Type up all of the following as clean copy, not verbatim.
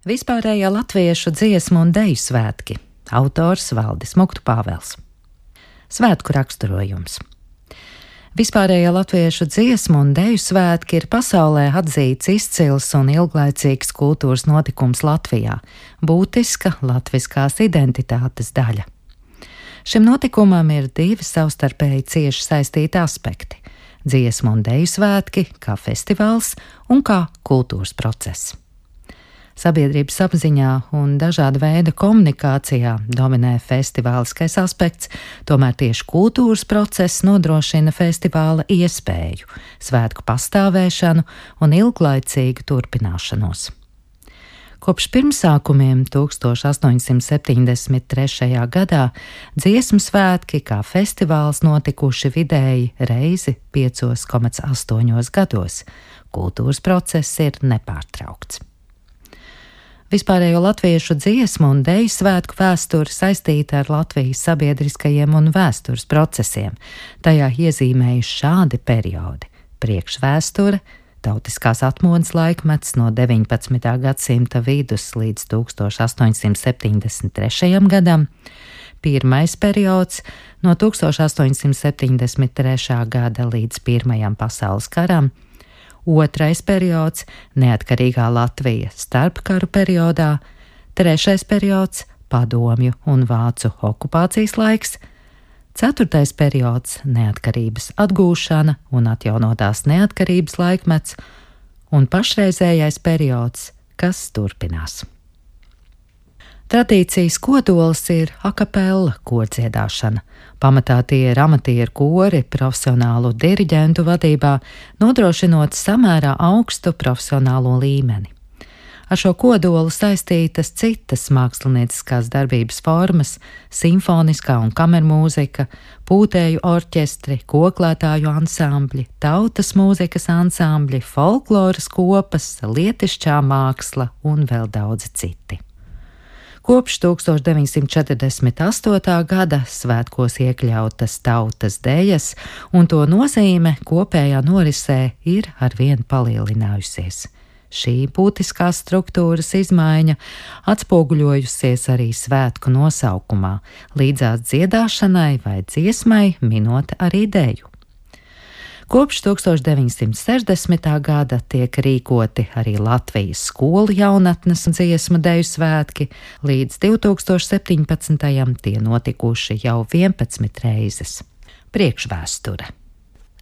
Vispārējā latviešu dziesmu un deju svētki. Autors Valdis Muktu Pāvels. Svētku raksturojums. Vispārējā latviešu dziesmu un deju svētki ir pasaulē atzīts izcils un ilglaicīgs kultūras notikums Latvijā, būtiska latviskās identitātes daļa. Šim notikumam ir divi savstarpēji cieši saistīti aspekti – dziesmu un deju svētki kā festivāls un kā kultūras process. Sabiedrības apziņā un dažāda veida komunikācijā dominē festivāliskais aspekts, tomēr tieši kultūras process nodrošina festivāla iespēju, svētku pastāvēšanu un ilglaicīgu turpināšanos. Kopš pirmsākumiem 1873. gadā dziesmu svētki kā festivāls notikuši vidēji reizi 5,8 gados. Kultūras process ir nepārtraukts. Vispārējo latviešu dziesmu un deju svētku vēsture saistīta ar Latvijas sabiedriskajiem un vēstures procesiem. Tajā iezīmējuši šādi periodi – priekšvēsture, tautiskās atmodas laikmets no 19. gadsimta vidus līdz 1873. gadam, pirmais periods no 1873. gada līdz Pirmajam pasaules karam, otrais periods – neatkarīgā Latvija starpkaru periodā, trešais periods – padomju un vācu okupācijas laiks, ceturtais periods – neatkarības atgūšana un atjaunotās neatkarības laikmets, un pašreizējais periods, kas turpinās. Tradīcijas kodols ir akapella kordziedāšana. Pamatā tie ir amatieru kori profesionālu diriģentu vadībā, nodrošinot samērā augstu profesionālo līmeni. Ar šo kodolu saistītas citas mākslinieciskās darbības formas – simfoniskā un kamermūzika, pūtēju orķestri, koklētāju ansambļi, tautas mūzikas ansambļi, folkloras kopas, lietišķā māksla un vēl daudzi citi. Kopš 1948. gada svētkos iekļautas tautas dejas, un to nozīme kopējā norisē ir arvien palielinājusies. Šī būtiskās struktūras izmaiņa atspoguļojusies arī svētku nosaukumā, līdzās dziedāšanai vai dziesmai minot arī deju. Kopš 1960. gada tiek rīkoti arī Latvijas skolu jaunatnes dziesmu deju svētki, līdz 2017. tie notikuši jau 11 reizes. Priekšvēsture.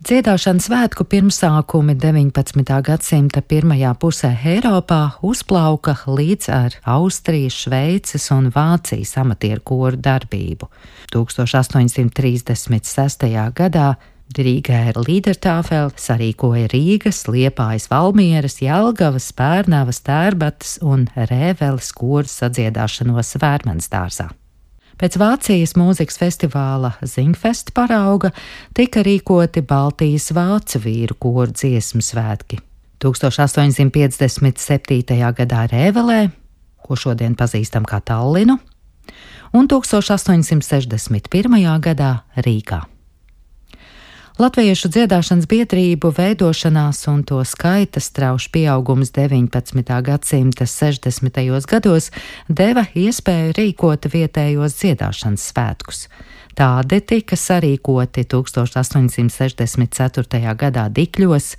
Dziedāšanas svētku pirmsākumi 19. gadsimta pirmajā pusē Eiropā uzplauka līdz ar Austrijas, Šveices un Vācijas amatieru koru darbību. 1836. gadā Rīgā Liedertāfele sarīkoja Rīgas, Liepājas, Valmieras, Jelgavas, Pērnavas, Tērbatas un Rēveles koru sadziedāšanos Vērmansdārzā. Pēc Vācijas mūzikas festivāla Zingfest parauga tika rīkoti Baltijas vācu vīru koru dziesmu svētki. 1857. gadā Rēvelē, ko šodien pazīstam kā Tallinu, un 1861. gadā Rīgā. Latviešu dziedāšanas biedrību veidošanās un to skaita strauši pieaugums 19. gadsimta 60. gados deva iespēju rīkot vietējos dziedāšanas svētkus. Tādi tika sarīkoti 1864. gadā Dikļos,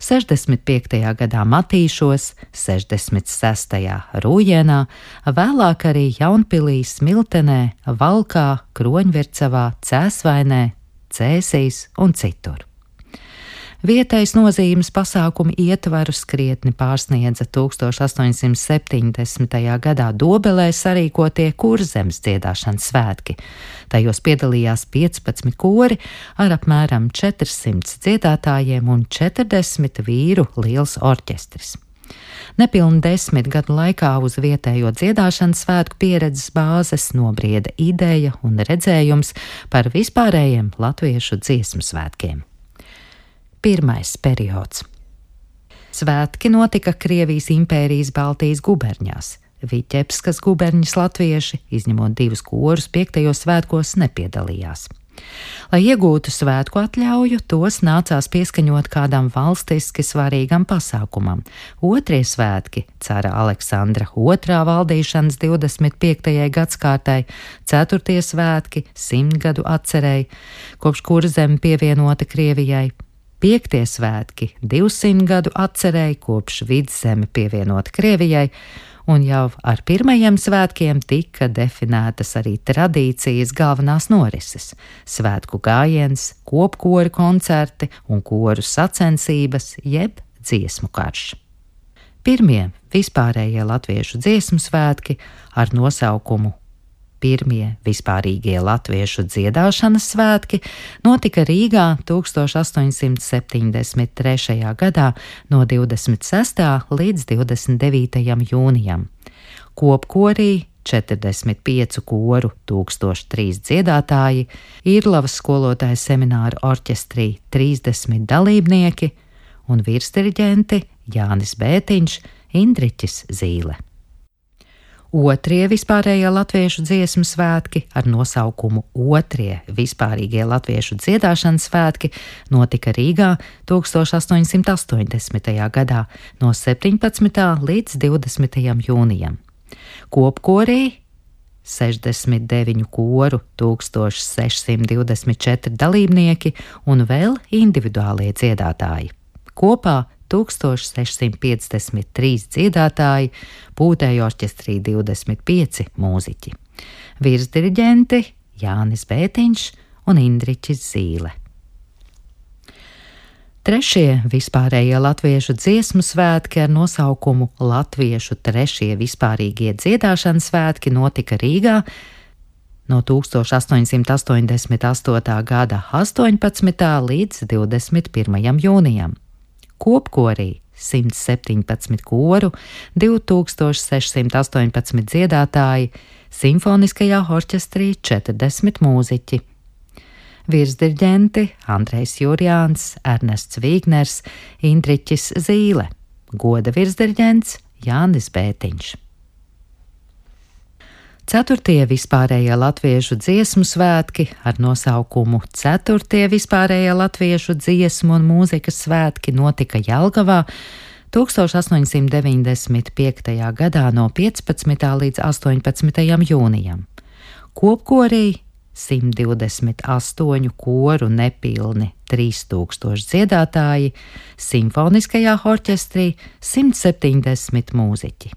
65. gadā Matīšos, 66. Rūjienā, vēlāk arī Jaunpilī, Smiltenē, Valkā, Kroņvircavā, Cēsvainē, Cēsīs un citur. Vietējas nozīmes pasākumi ietvarus krietni pārsniedza 1870. gadā Dobelē sarīkotie Kurzemes dziedāšanas svētki. Tajos piedalījās 15 kori ar apmēram 400 dziedātājiem un 40 vīru liels orķestris. Nepilni 10 gadu laikā uz vietējo dziedāšanas svētku pieredzes bāzes nobrieda ideja un redzējums par vispārējiem latviešu dziesmu svētkiem. Pirmais periods. Svētki notika Krievijas impērijas Baltijas guberņās. Viķepskas guberņas latvieši, izņemot 2 korus, 5. svētkos nepiedalījās. Lai iegūtu svētku atļauju, tos nācās pieskaņot kādam valstiski svarīgam pasākumam. Otrie svētki – cara Aleksandra II valdīšanas 25. gadskārtai, ceturtie svētki – 100 gadu atcerei, kopš Kurzeme pievienota Krievijai, piektie svētki – 200 gadu atcerei, kopš Vidzeme pievienota Krievijai, un jau ar pirmajiem svētkiem tika definētas arī tradīcijas galvenās norises – svētku gājiens, kopkori koncerti un koru sacensības, jeb dziesmu karš. Pirmie vispārējie latviešu dziesmu svētki ar nosaukumu Pirmie vispārīgie latviešu dziedāšanas svētki notika Rīgā 1873. gadā no 26. līdz 29. jūnijam. Kopkorī 45 koru, 1003 dziedātāji, Īrlavas skolotāju semināru orķestrī 30 dalībnieki un virsdiriģenti Jānis Bētiņš, Indriķis Zīle. Otrie vispārējie latviešu dziesmu svētki ar nosaukumu Otrie vispārīgie latviešu dziedāšanas svētki notika Rīgā 1880. gadā no 17. līdz 20. jūnijam. Kopkorī 69 koru, 1624 dalībnieki un vēl individuālie dziedātāji. Kopā 1653 dziedātāji, pūtēju orķestrī 25 mūziķi. Virsdiriģenti Jānis Bētiņš un Indriķis Zīle. Trešie vispārējie latviešu dziesmu svētki ar nosaukumu Latviešu trešie vispārīgie dziedāšanas svētki notika Rīgā no 1888. gada 18. līdz 21. jūnijam. Kopkorī 117 koru, 2618 dziedātāji, simfoniskajā orķestrī 40 mūziķi. Virsdiriģenti Andrejs Jurjāns, Ernests Vīgners, Indriķis Zīle, goda virsdiriģents Jānis Bētiņš. Ceturtie vispārējie latviešu dziesmu svētki ar nosaukumu Ceturtie vispārējie latviešu dziesmu un mūzikas svētki notika Jelgavā 1895. gadā no 15. līdz 18. jūnijam. Kopkorī 128 koru nepilni 3000 dziedātāji, simfoniskajā orķestrī 170 mūziķi.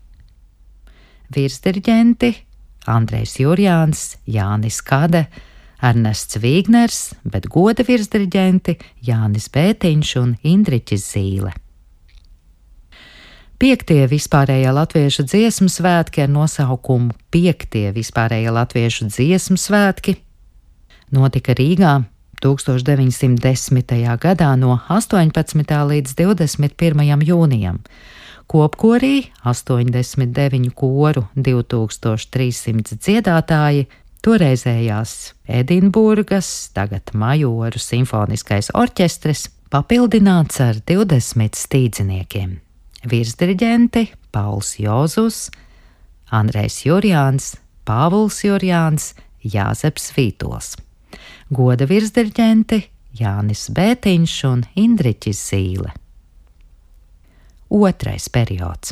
Virsdiriģenti Andrejs Jurjāns, Jānis Kade, Ernests Vīgners, bet goda virsdiriģenti Jānis Bētiņš un Indriķis Zīle. Piektie vispārējie latviešu dziesmu svētki ar nosaukumu Piektie vispārējie latviešu dziesmu svētki notika Rīgā 1910. gadā no 18. līdz 21. jūnijam. Kopkorī 89 koru, 2300 dziedātāji, toreizējās Edinburgas, tagad Majoru simfoniskais orķestris, papildināts ar 20 stīdziniekiem. Virsdiriģenti Pauls Jozus, Andrejs Jurjāns, Pāvuls Jurjāns, Jāzeps Vītols. Goda virsdiriģenti Jānis Bētiņš un Indriķis Zīle. Otrais periods.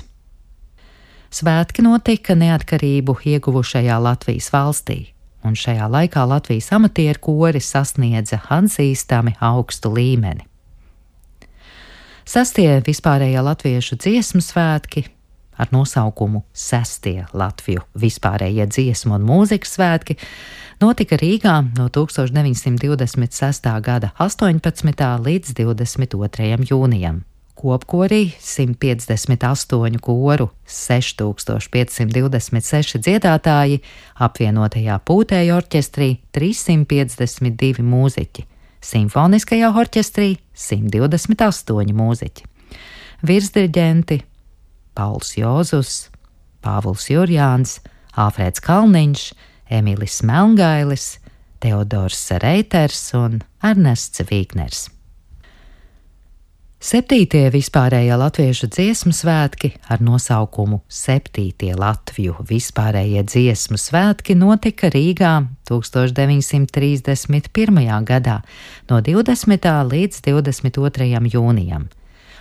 Svētki notika neatkarību ieguvušajā Latvijas valstī, un šajā laikā Latvijas amatieru kori sasniedza atzīstami augstu līmeni. Sastie vispārējie latviešu dziesmu svētki ar nosaukumu Sestie Latviju vispārējie dziesmu un mūzikas svētki notika Rīgā no 1926. gada 18. līdz 22. jūnijam. Kopkorī 158 koru, 6526 dziedātāji, apvienotajā pūtēju orķestrī 352 mūziķi, simfoniskajā orķestrī 128 mūziķi. Virsdiriģenti Pauls Jozus, Pāvuls Jurjāns, Āfrēds Kalniņš, Emilis Melngailis, Teodors Reiters un Ernests Vīgners. 7. vispārējā latviešu dziesmu svētki ar nosaukumu 7. Latviju vispārējie dziesmu svētki notika Rīgā 1931. gadā no 20. līdz 22. jūnijam.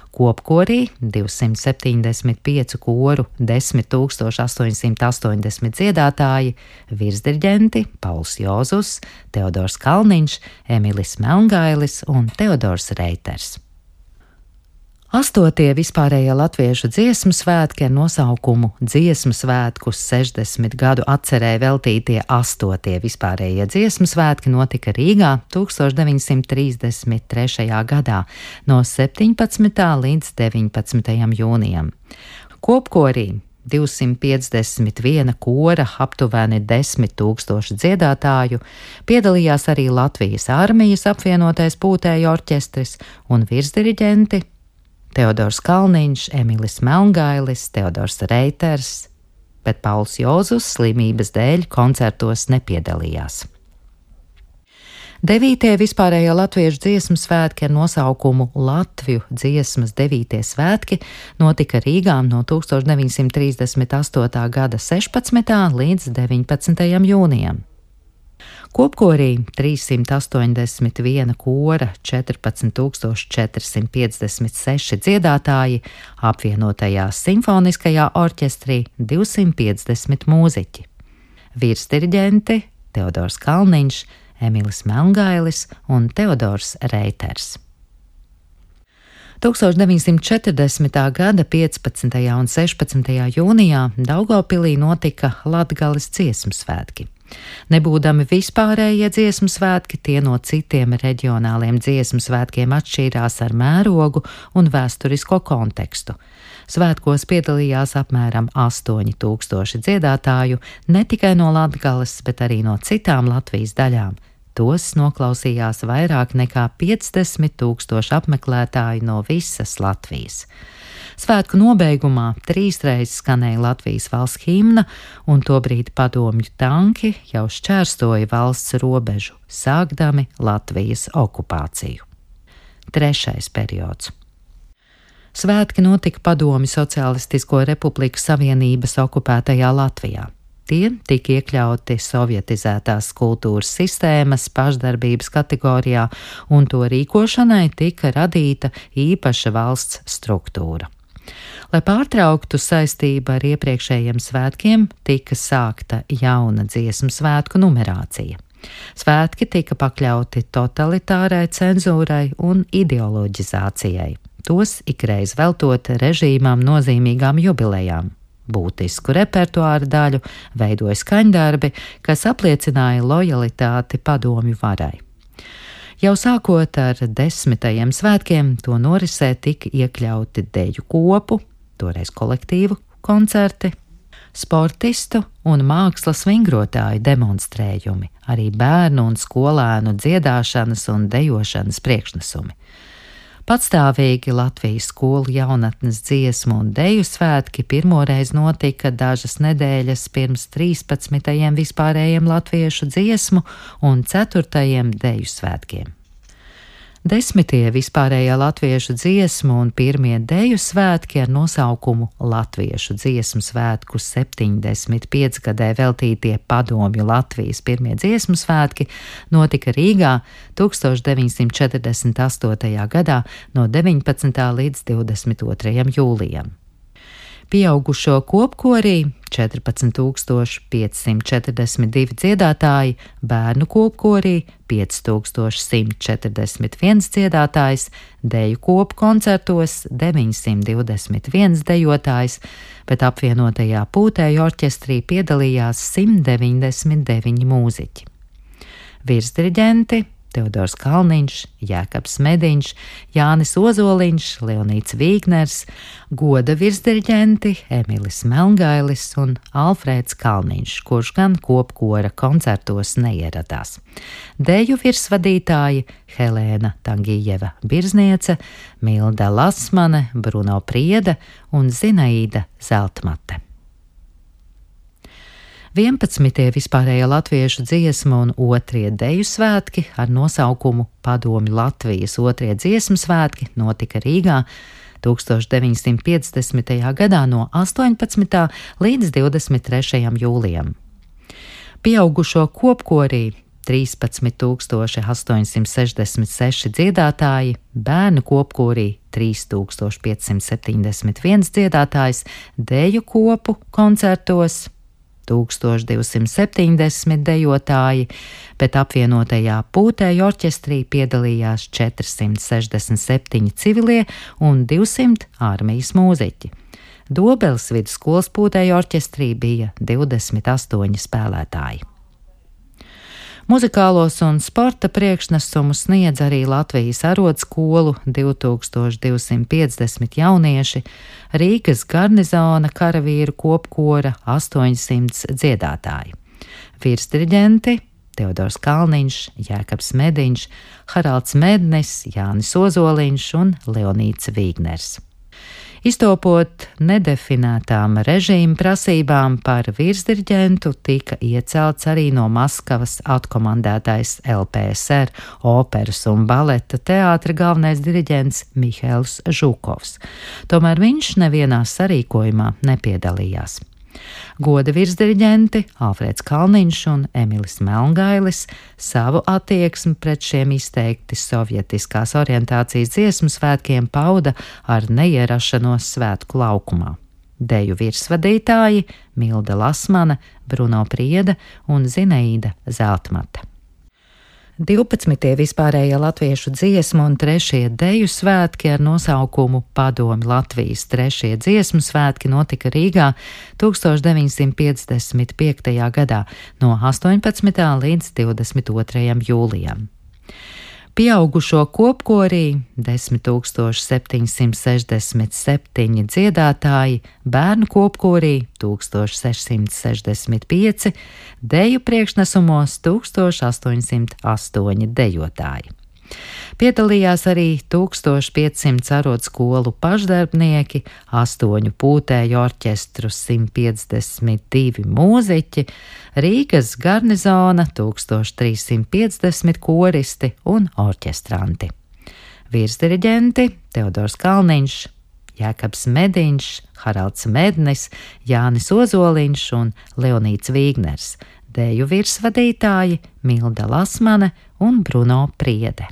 Kopkorī 275 koru, 10,880 dziedātāji, virsdirģenti Pauls Jozus, Teodors Kalniņš, Emilis Melngailis un Teodors Reiters. 8. vispārējā latviešu dziesmu svētki ar nosaukumu Dziesmu svētkus 60 gadu atcerē veltītie 8. vispārējie dziesmu svētki notika Rīgā 1933. gadā no 17. līdz 19. jūnijam. Kopkorī 251 kora, aptuveni 10 000 dziedātāju, piedalījās arī Latvijas armijas apvienotais pūtēju orķestris un virsdiriģenti Teodors Kalniņš, Emilis Melngailis, Teodors Reiters, bet Pauls Jozus slimības dēļ koncertos nepiedalījās. 9. vispārējā latviešu dziesmu svētki ar nosaukumu Latviju dziesmas 9. svētki notika Rīgā no 1938. gada 16. līdz 19. jūnijam. Kopkorī 381 kora, 14,456 dziedātāji, apvienotajā simfoniskajā orķestrī 250 mūziķi. Virsdiriģenti Teodors Kalniņš, Emilis Melngailis un Teodors Reiters. 1940. gada 15. un 16. jūnijā Daugavpilī notika Latgales dziesmu svētki. Nebūdami vispārējie dziesmu svētki, tie no citiem reģionāliem dziesmu svētkiem atšķīrās ar mērogu un vēsturisko kontekstu. Svētkos piedalījās apmēram 8000 dziedātāju, ne tikai no Latgales, bet arī no citām Latvijas daļām. Tos noklausījās vairāk nekā 50 000 apmeklētāju no visas Latvijas. Svētku nobeigumā 3 reizes skanēja Latvijas valsts himna, un tobrīd padomju tanki jau šķērsoja valsts robežu, sākdami Latvijas okupāciju. 3. periods. Svētki notika Padomju Socialistisko Republiku Savienības okupētajā Latvijā. Tie tika iekļauti sovietizētās kultūras sistēmas pašdarbības kategorijā, un to rīkošanai tika radīta īpaša valsts struktūra. Lai pārtrauktu saistību ar iepriekšējiem svētkiem, tika sākta jauna dziesmu svētku numerācija. Svētki tika pakļauti totalitārai cenzūrai un ideoloģizācijai, tos ikreiz veltot režīmām nozīmīgām jubilejām. Būtisku repertuāra daļu veidoja skaņdarbi, kas apliecināja lojalitāti padomju varai. Jau sākot ar 10. svētkiem, to norisē tika iekļauti deju kopu, toreiz kolektīvu koncerti, sportistu un mākslas vingrotāju demonstrējumi, arī bērnu un skolēnu dziedāšanas un dejošanas priekšnesumi. Patstāvīgi Latvijas skolu jaunatnes dziesmu un deju svētki pirmoreiz notika dažas nedēļas pirms 13. vispārējiem latviešu dziesmu un 4. deju svētkiem. 10. vispārējā latviešu dziesmu un 1. deju svētki ar nosaukumu Latviešu dziesmu svētku 75 gadē veltītie Padomju Latvijas 1. dziesmu svētki notika Rīgā 1948. gadā no 19. līdz 22. jūlijam. Pieaugušo kopkorī 14,542 dziedātāji, bērnu kopkorī 5141 dziedātājs, deju kopu koncertos 921 dejotājs, bet apvienotajā pūtēju orķestrī piedalījās 199 mūziķi. Virsdiriģenti Teodors Kalniņš, Jēkabs Mediņš, Jānis Ozoliņš, Leonīts Vīgners, goda virsdiriģenti Emilis Melngailis un Alfrēds Kalniņš, kurš gan kopkora koncertos neieradās. Deju virsvadītāji Helēna Tangijeva Birzniece, Milda Lasmane, Bruno Prieda un Zinaīda Zeltmate. 11. vispārējie latviešu dziesmu un 2. deju svētki ar nosaukumu Padomju Latvijas 2. dziesmu svētki notika Rīgā 1950. gadā no 18. līdz 23. jūlijam. Pieaugušo kopkorī 13,866 dziedātāji, bērnu kopkorī 3,571 dziedātājs, deju kopu koncertos 1270 dejotāji, bet apvienotajā pūtēju orķestrī piedalījās 467 civilie un 200 armijas mūziķi. Dobeles vidusskolas pūtēju orķestrī bija 28 spēlētāji. Muzikālos un sporta priekšnesumus sniedz arī Latvijas arodskolu 2250 jaunieši, Rīgas garnizona karavīru kopkora 800 dziedātāji. Virsdiriģenti Teodors Kalniņš, Jēkabs Mediņš, Haralds Mednis, Jānis Ozoliņš un Leonīts Vīgners. Iztopot nedefinētām režīma prasībām par virsdiriģentu, tika iecelts arī no Maskavas atkomandētais LPSR operas un baleta teātra galvenais diriģents Mihails Žukovs. Tomēr viņš nevienā sarīkojumā nepiedalījās. Goda virsdiriģenti Alfrēds Kalniņš un Emilis Melngailis savu attieksmi pret šiem izteikti sovietiskās orientācijas dziesmu svētkiem pauda ar neierašanos svētku laukumā. Deju virsvadītāji Milda Lasmane, Bruno Priede un Zineīda Zeltmate. 12. vispārējie latviešu dziesmu un 3. deju svētki ar nosaukumu Padomju Latvijas 3. dziesmu svētki notika Rīgā 1955. gadā no 18. līdz 22. jūlijam. Pieaugušo kopkorī 10,767 dziedātāji, bērnu kopkorī 1665, deju priekšnesumos 1808 dejotāji. Piedalījās arī 1500 arodskolu pašdarbnieki, 8 pūtēju orķestru 152 mūziķi, Rīgas garnizona 1350 koristi un orķestranti. Virsdiriģenti Teodors Kalniņš, Jēkabs Mediņš, Haralds Mednis, Jānis Ozoliņš un Leonīts Vīgners, deju virsvadītāji Milda Lasmane un Bruno Priede.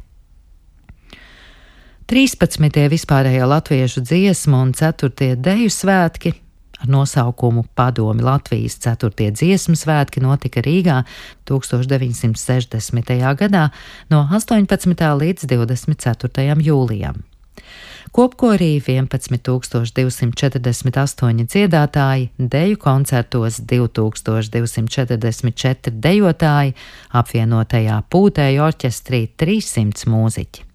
13. vispārējā latviešu dziesmu un 4. deju svētki ar nosaukumu Padomju Latvijas 4. dziesmu svētki notika Rīgā 1960. gadā no 18. līdz 24. jūlijam. Kopkorī 11,248 dziedātāji, deju koncertos 2244 dejotāji, apvienotajā pūtēju orķestrī 300 mūziķi.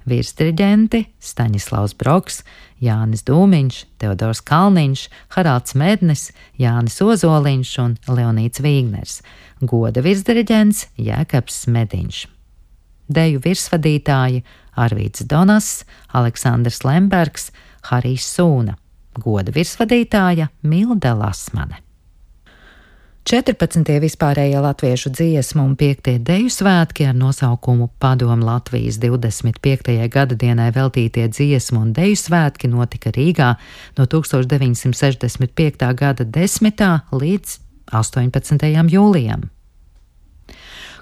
Virsdiriģenti Staņislavs Broks, Jānis Dūmiņš, Teodors Kalniņš, Haralds Mednis, Jānis Ozoliņš un Leonīts Vīgners, goda virsdiriģents Jēkabs Mediņš. Deju virsvadītāji Arvīds Donass, Aleksandrs Lembergs, Harijs Sūna, goda virsvadītāja Milda Lasmane. 14. vispārējie latviešu dziesmu un 5. deju svētki ar nosaukumu Padomju Latvijas 25. gadadienai veltītie dziesmu un deju svētki notika Rīgā no 1965. gada 10. līdz 18. jūlijam.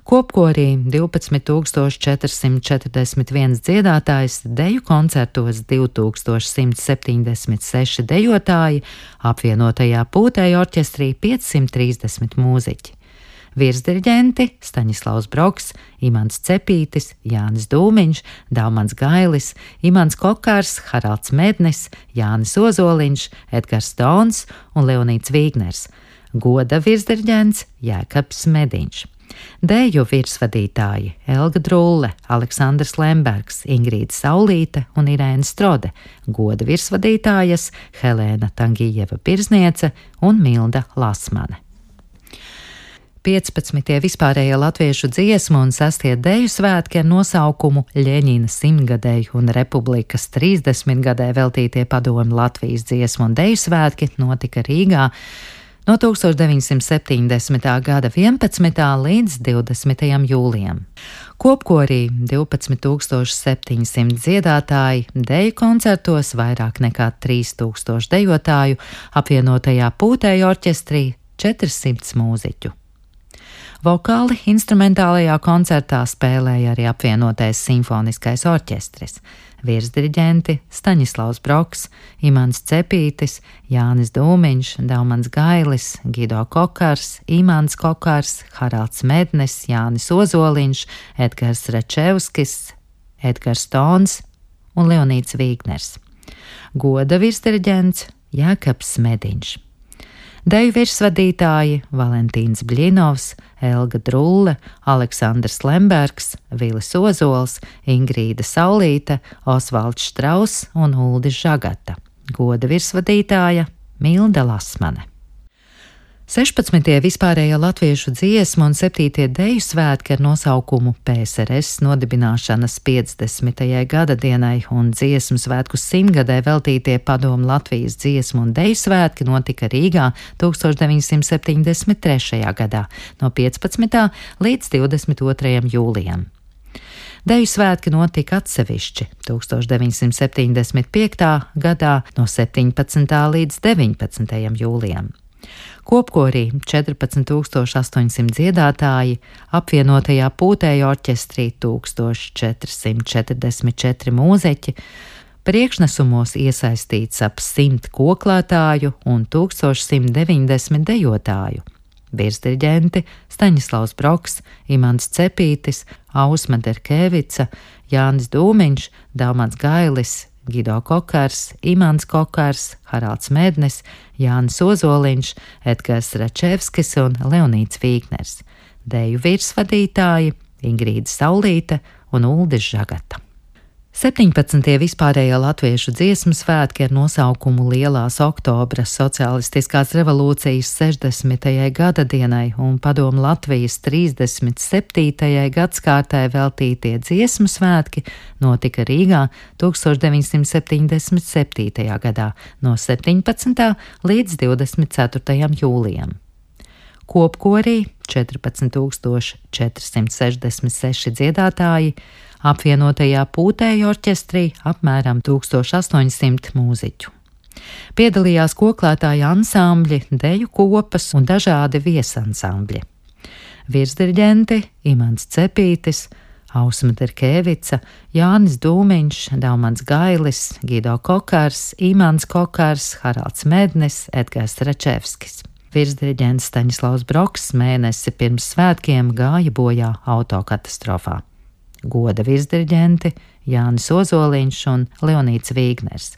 Kopkorī 12,441 dziedātājs, deju koncertos 2176 dejotāji, apvienotajā pūtēju orķestrī 530 mūziķi. Virsdiriģenti Staņislavs Broks, Imants Cepītis, Jānis Dūmiņš, Daumans Gailis, Imants Kokārs, Haralds Mednis, Jānis Ozoliņš, Edgars Stons un Leonīts Vīgners, goda virsdiriģents Jēkabs Mediņš. Deju virsvadītāji Elga Drulle, Aleksandrs Lembergs, Ingrīda Saulīte un Irēna Strode, goda virsvadītājas Helēna Tangijeva Birzniece un Milda Lasmane. 15. vispārējie latviešu dziesmu un 6. deju svētki ar nosaukumu Ļeņina 100-gadēju un Republikas 30-gadē veltītie Padomju Latvijas dziesmu un deju svētki notika Rīgā no 1970. gada 11. līdz 20. jūlijam. Kopkorī 12,700 dziedātāji, deju koncertos vairāk nekā 3000 dejotāju, apvienotajā pūtēju orķestrī 400 mūziķu. Vokāli instrumentālajā koncertā spēlēja arī apvienotais simfoniskais orķestris. Virsdiriģenti Staņislavs Broks, Imants Cepītis, Jānis Dūmiņš, Daumans Gailis, Gido Kokars, Imants Kokars, Haralds Mednis, Jānis Ozoliņš, Edgars Račevskis, Edgars Tons un Leonīds Vīgners. Goda virsdiriģents Jēkabs Mediņš. Deju virsvadītāji Valentīns Bļinovs, Elga Drulle, Aleksandrs Lembergs, Vilis Ozols, Ingrīda Saulīte, Osvalds Štrauss un Uldis Žagata. Goda virsvadītāja Milda Lasmane. 16. vispārējā latviešu dziesmu un 7. deju svētki ar nosaukumu PSRS nodibināšanas 50. gada dienai un dziesmu svētku 100-gadē veltītie Padomu Latvijas dziesmu un deju svētki notika Rīgā 1973. gadā no 15. līdz 22. jūlijam. Deju svētki notika atsevišķi 1975. gadā no 17. līdz 19. jūlijam. Kopkorī 14,800 dziedātāji, apvienotajā pūtēju orķestrī 1444 mūziķi, priekšnesumos iesaistīts ap 100 koklētāju un 1190 dejotāju. Virsdiriģenti Staņislavs Broks, Imants Cepītis, Ausma Derkevica, Jānis Dūmiņš, Daumans Gailis, Gido Kokars, Imants Kokars, Haralds Mednis, Jānis Ozoliņš, Edgars Račevskis un Leonīds Vīgners. Deju virsvadītāji Ingrīda Saulīte un Uldis Žagata. 17. vispārējā latviešu dziesmu svētki ar nosaukumu Lielās oktobra sociālistiskās revolūcijas 60. gada dienai un Padomu Latvijas 37. gadskārtai veltītie dziesmu svētki notika Rīgā 1977. gadā no 17. līdz 24. jūlijam. Kopkorī 14,466 dziedātāji, apvienotajā pūtēju orķestrī apmēram 1800 mūziķu. Piedalījās koklētāju ansambļi, deju kopas un dažādi viesansambļi. Virsdiriģenti Imants Cepītis, Ausma Derkevica, Jānis Dūmiņš, Daumans Gailis, Gido Kokars, Imants Kokars, Haralds Mednis, Edgars Račevskis. Virsdiriģents Staņislavs Broks mēnesi pirms svētkiem gāja bojā autokatastrofā. Goda virsdiriģenti Jānis Ozoliņš un Leonīds Vīgners.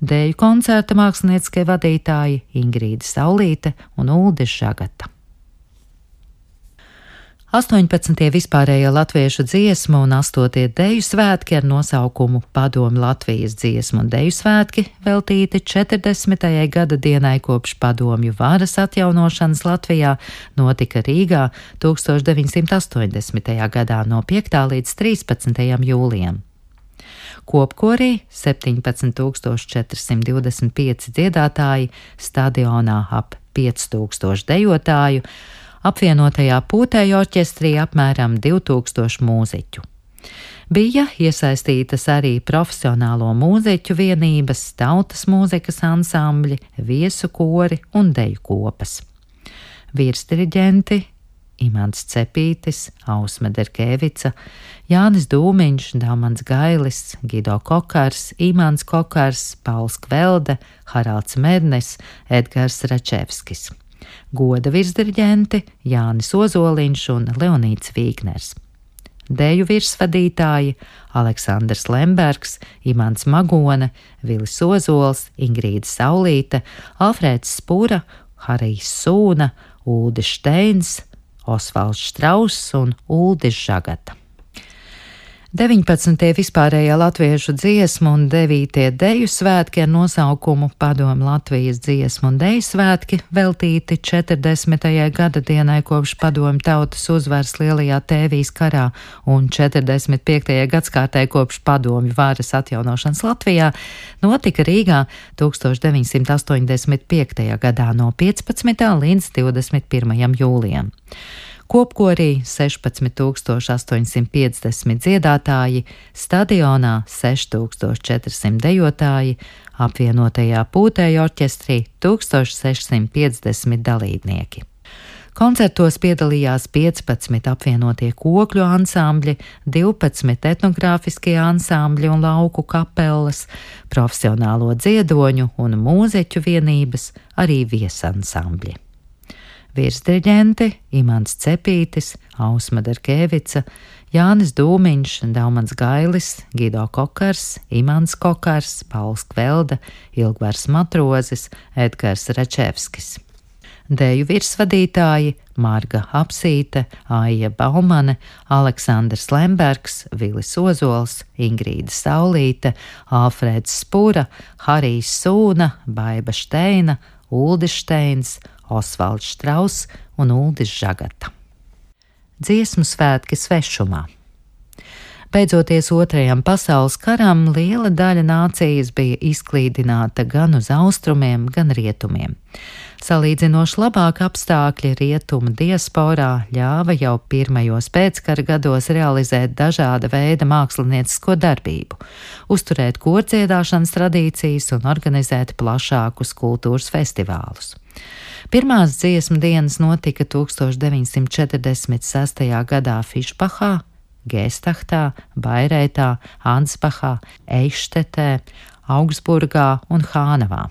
Deju koncerta mākslinieckie vadītāji Ingrīda Saulīte un Uldis Žagata. 18. vispārējā latviešu dziesmu un 8. deju svētki ar nosaukumu Padomu Latvijas dziesmu un deju svētki veltīti 40. gada dienai kopš padomju varas atjaunošanas Latvijā notika Rīgā 1980. gadā no 5. līdz 13. jūlijam. Kopkorī 17,425 dziedātāji, stadionā ap 5000 dejotāju, apvienotajā pūtēju orķestrī apmēram 2000 mūziķu. Bija iesaistītas arī profesionālo mūziķu vienības, tautas mūzikas ansambļi, viesu kori un deju kopas. Virsdiriģenti Imants Cepītis, Ausma Derkevica, Jānis Dūmiņš, Daumans Gailis, Gido Kokars, Imants Kokars, Pauls Kvelde, Haralds Mednis, Edgars Račevskis. Goda virsdiriģenti Jānis Ozoliņš un Leonīds Vīgners. Deju virsvadītāji Aleksandrs Lembergs, Imants Magone, Vilis Ozols, Ingrīda Saulīte, Alfrēds Spura, Harijs Sūna, Uldis Steins, Osvalds Štrauss un Uldis Žagata. 19. vispārējā latviešu dziesmu un 9. deju svētki ar nosaukumu Padomju Latvijas dziesmu un deju svētki veltīti 40. gada dienai kopš padomju tautas uzvaras Lielajā Tēvijas karā un 45. gadskārtai kopš padomju varas atjaunošanas Latvijā notika Rīgā 1985. gadā no 15. līdz 21. jūlijam. Kopkorī 16,850 dziedātāji, stadionā 6,400 dejotāji, apvienotajā pūtēju orķestrī 1,650 dalībnieki. Koncertos piedalījās 15 apvienotie kokļu ansambļi, 12 etnogrāfiskie ansambļi un lauku kapelas, profesionālo dziedoņu un mūzeķu vienības, arī viesansambļi. Virsdiriģenti Imants Cepītis, Ausma Darkevica, Jānis Dūmiņš, Daumans Gailis, Gido Kokars, Imants Kokars, Pauls Kvelda, Ilgvars Matrozis, Edgars Račevskis. Deju virsvadītāji Marga Apsīte, Aija Baumane, Aleksandrs Lembergs, Vilis Ozols, Ingrīda Saulīte, Alfrēds Spura, Harijs Sūna, Baiba Šteina, Uldis Šteins, Osvalds Štrauss un Uldis Žagata. Dziesmu svētki svešumā. Beidzoties Otrajam pasaules karam, liela daļa nācijas bija izklīdināta gan uz austrumiem, gan rietumiem. Salīdzinoši labāk apstākļi rietumu diasporā ļāva jau pirmajos pēckara gados realizēt dažāda veida māksliniecisko darbību, uzturēt kordziedāšanas tradīcijas un organizēt plašākus kultūras festivālus. Pirmās dziesmu dienas notika 1946. gadā Fišbahā, Gēstahtā, Bairētā, Ansbahā, Eištetē, Augsburgā un Hānavā.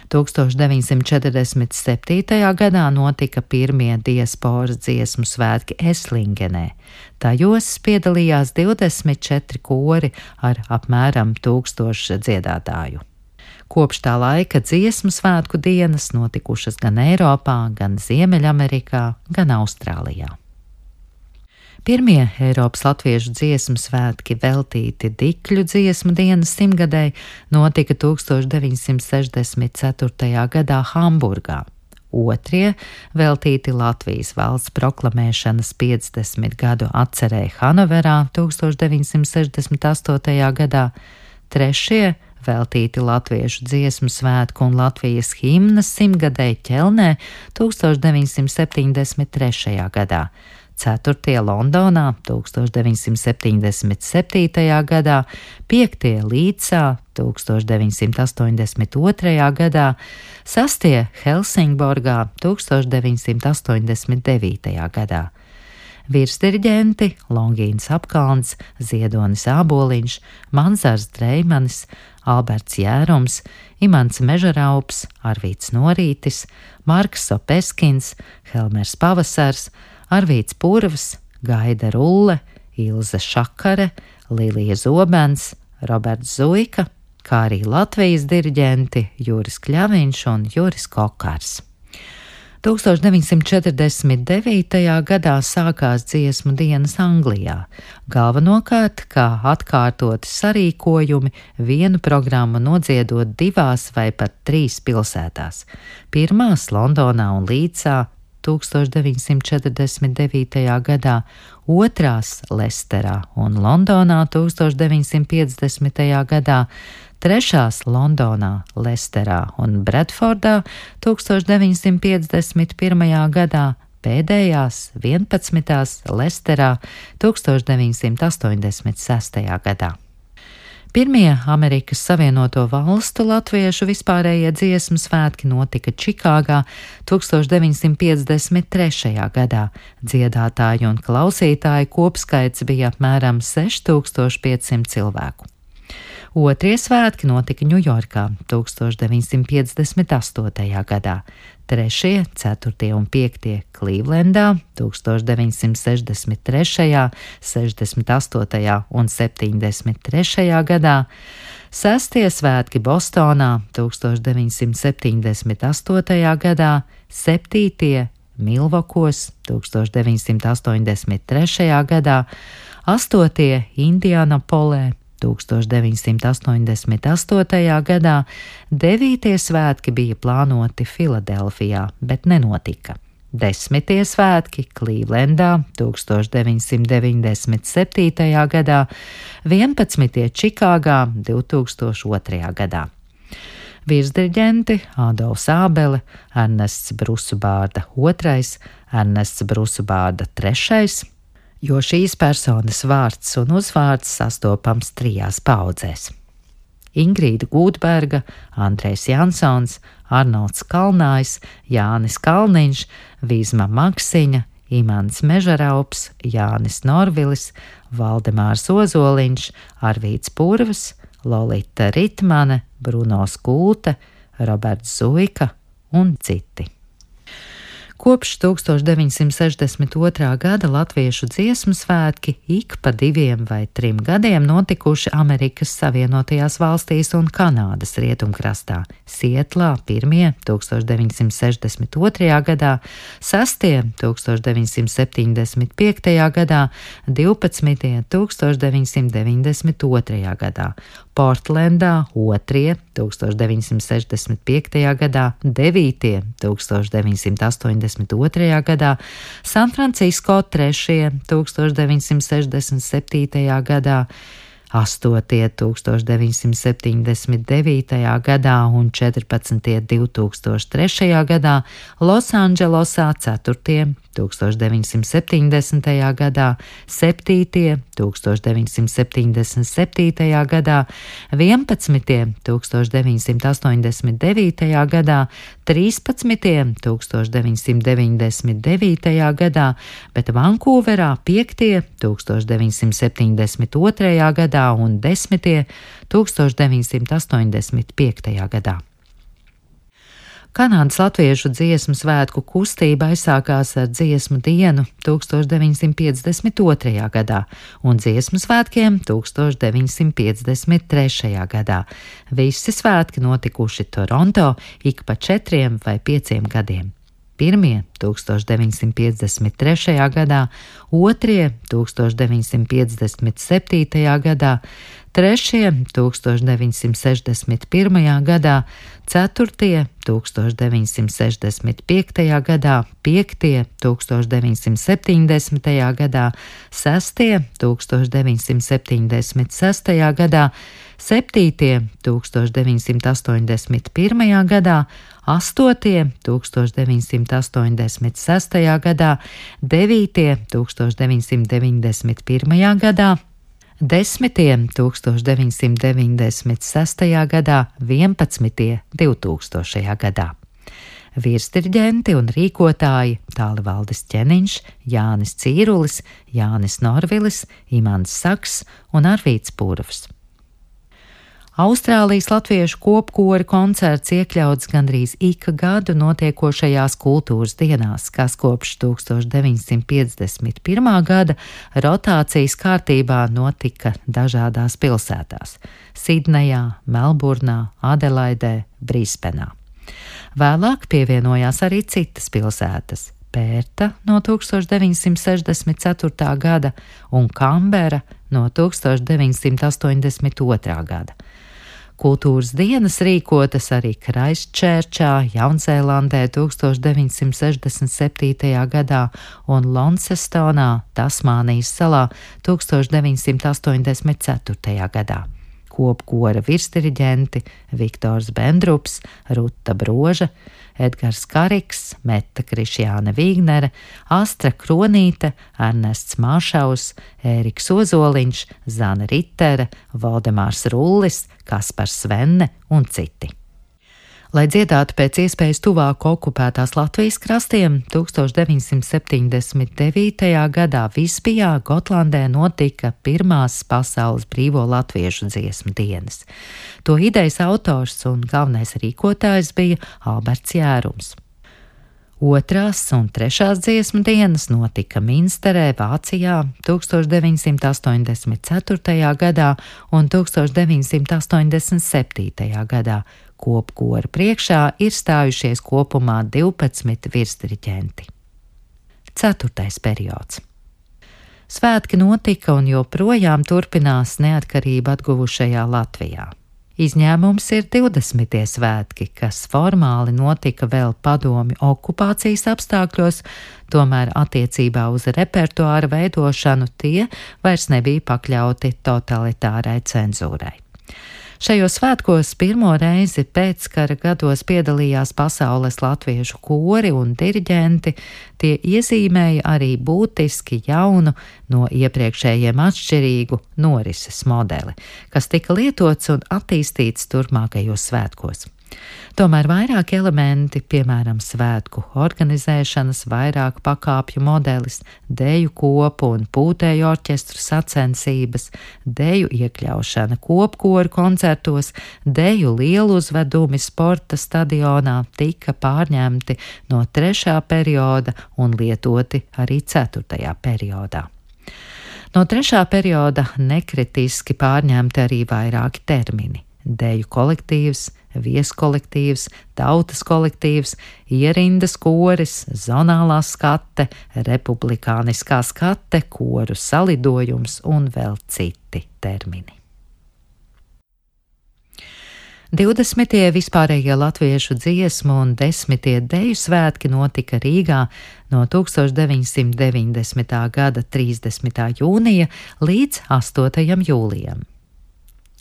1947. gadā notika pirmie diasporas dziesmu svētki Eslingenē. Tajos piedalījās 24 kori ar apmēram 1000 dziedātāju. Kopš tā laika dziesmu svētku dienas notikušas gan Eiropā, gan Ziemeļamerikā, gan Austrālijā. Pirmie Eiropas latviešu dziesmu svētki veltīti Dikļu dziesmu dienas simtgadēji notika 1964. gadā Hamburgā. Otrie veltīti Latvijas valsts proklamēšanas 50 gadu atcerēji Hanoverā 1968. gadā. Trešie veltīti latviešu dziesmu svētku un Latvijas himnas simtgadēji Ķelnē 1973. gadā. Ceturtie Londonā 1977. gadā, piektie Līdzā 1982. gadā, sastie Helsingborgā 1989. gadā. Virsdiriģenti Longīns Apkalns, Ziedonis Āboliņš, Manzars Dreimanis, Alberts Jērums, Imants Mežaraups, Arvīts Norītis, Marks Sopeskins, Helmers Pavasars, Arvīts Purvs, Gaida Rulle, Ilze Šakare, Lilija Zobens, Roberts Zuika, kā arī Latvijas diriģenti Juris Kļaviņš un Juris Kokars. 1949. gadā sākās dziesmu dienas Anglijā, galvenokārt kā atkārtoti sarīkojumi, vienu programmu nodziedot 2 vai pat 3 pilsētās. Pirmās Londonā un Līdzā 1949. gadā, otrās Lesterā un Londonā 1950. gadā, trešās Londonā, Lesterā un Bredfordā 1951. gadā, pēdējās 11. Lesterā 1986. gadā. Pirmie Amerikas Savienoto Valstu latviešu vispārējie dziesmu svētki notika Čikāgā 1953. gadā. Dziedātāju un klausītāju kopskaits bija apmēram 6500 cilvēku. Otrie svētki notika Ņujorkā 1958. gadā, trešie, ceturtie un piektie Klīvlendā 1963., 68. un 73. gadā, sestie svētki Bostonā 1978. gadā, septītie Milvokos 1983. gadā, 8. Indianapolē 1988. gadā, 9. svētki bija plānoti Filadelfijā, bet nenotika. 10. svētki Klīvlendā 1997. gadā, 11. Čikāgā 2002. gadā. Virsdiriģenti Ādolfs Ābele, Ernests Brusubārda II, Ernests Brusubārda III, jo šīs personas vārds un uzvārds sastopams 3 paudzēs. Ingrīda Gūtberga, Andrejs Jansons, Arnolds Kalnājs, Jānis Kalniņš, Vīzma Maksiņa, Imants Mežaraups, Jānis Norvilis, Valdemārs Ozoliņš, Arvīts Purvs, Lolita Ritmane, Bruno Skūte, Roberts Zuika un citi. Kopš 1962. gada latviešu dziesmu svētki ik pa 2 vai 3 gadiem notikuši Amerikas Savienotajās valstīs un Kanādas rietumkrastā. Sietlā 1. 1962. gadā, 6. 1975. gadā, 12. 1992. gadā, Portlendā 2. 1965. gadā, 9. 1982. gadā, Sanfrancisko 3. 1967. gadā, 8. 1979. gadā un 14. 2003. gadā, Losandželosā 4. 1970. gadā, 7. 1977. gadā, 11. 1989. gadā, 13. 1999. gadā, bet Vankūverā 5. 1972. gadā un 10. 1985. gadā. Kanādas latviešu dziesmu svētku kustība aizsākās ar dziesmu dienu 1952. gadā un dziesmu svētkiem 1953. gadā. Visi svētki notikuši Toronto ik pa 4 vai 5 gadiem. 1. 1953. gadā, 2. 1957. gadā, 3. 1961. gadā, 4. 1965. gadā, 5. 1970. gadā, 6. 1976. gadā, 7. 1981. gadā, 8. 1986. gadā, 9. 1991. gadā, 10. 1996. gadā, 11. 2000. gadā. Virsdiriģenti un rīkotāji Tālivaldis Ķeniņš, Jānis Cīrulis, Jānis Norvilis, Imants Saks un Arvīts Purvs. Austrālijas latviešu kopkora koncerts iekļauts gandrīz ik gadu notiekošajās kultūras dienās, kas kopš 1951. gada rotācijas kārtībā notika dažādās pilsētās – Sidnejā, Melburnā, Adelaidē, Brisbenā. Vēlāk pievienojās arī citas pilsētas – Pērta no 1964. gada un Kambera no 1982. gada. Kultūras dienas rīkotas arī Kraistčērčā, Jaunzēlandē 1967. gadā un Launcestonā, Tasmānijas salā 1984. gadā. Kopkora virsdiriģenti Viktors Bendrups, Ruta Broža, Edgars Kariks, Meta Krišjāne Vīgnere, Astra Kronīte, Ernests Māšaus, Ēriks Ozoliņš, Zana Ritere, Valdemārs Rullis, Kaspars Svenne un citi. Lai dziedātu pēc iespējas tuvāk okupētās Latvijas krastiem, 1979. gadā Visbijā, Gotlandē notika pirmās pasaules brīvo latviešu dziesmu dienas. To idejas autors un galvenais rīkotājs bija Alberts Jērums. 2. un 3. dziesmu dienas notika Minsterē, Vācijā 1984. gadā un 1987. gadā. Kopkora priekšā ir stājušies kopumā 12 virsdiriģenti. 4. periods. Svētki notika un joprojām turpinās neatkarību atguvušajā Latvijā. Izņēmums ir 20. svētki, kas formāli notika vēl padomju okupācijas apstākļos, tomēr attiecībā uz repertuāra veidošanu tie vairs nebija pakļauti totalitārai cenzūrai. Šajos svētkos pirmo reizi pēckara gados piedalījās pasaules latviešu kori un diriģenti, tie iezīmēja arī būtiski jaunu, no iepriekšējiem atšķirīgu norises modeli, kas tika lietots un attīstīts turpmākajos svētkos. Tomēr vairāk elementi, piemēram, svētku organizēšanas, vairāk pakāpju modelis, deju kopu un pūtēju orķestru sacensības, deju iekļaušana kopkoru koncertos, deju lieluzvedumi sporta stadionā tika pārņemti no 3. perioda un lietoti arī 4. periodā. No 3. perioda nekritiski pārņemti arī vairāki termini – deju kolektīvs, vieskolektīvs, tautas kolektīvs, ierindas koris, zonālā skate, republikāniskā skate, koru salidojums un vēl citi termini. 20. vispārējie latviešu dziesmu un 10. deju svētki notika Rīgā no 1990. gada 30. jūnija līdz 8. jūlijam.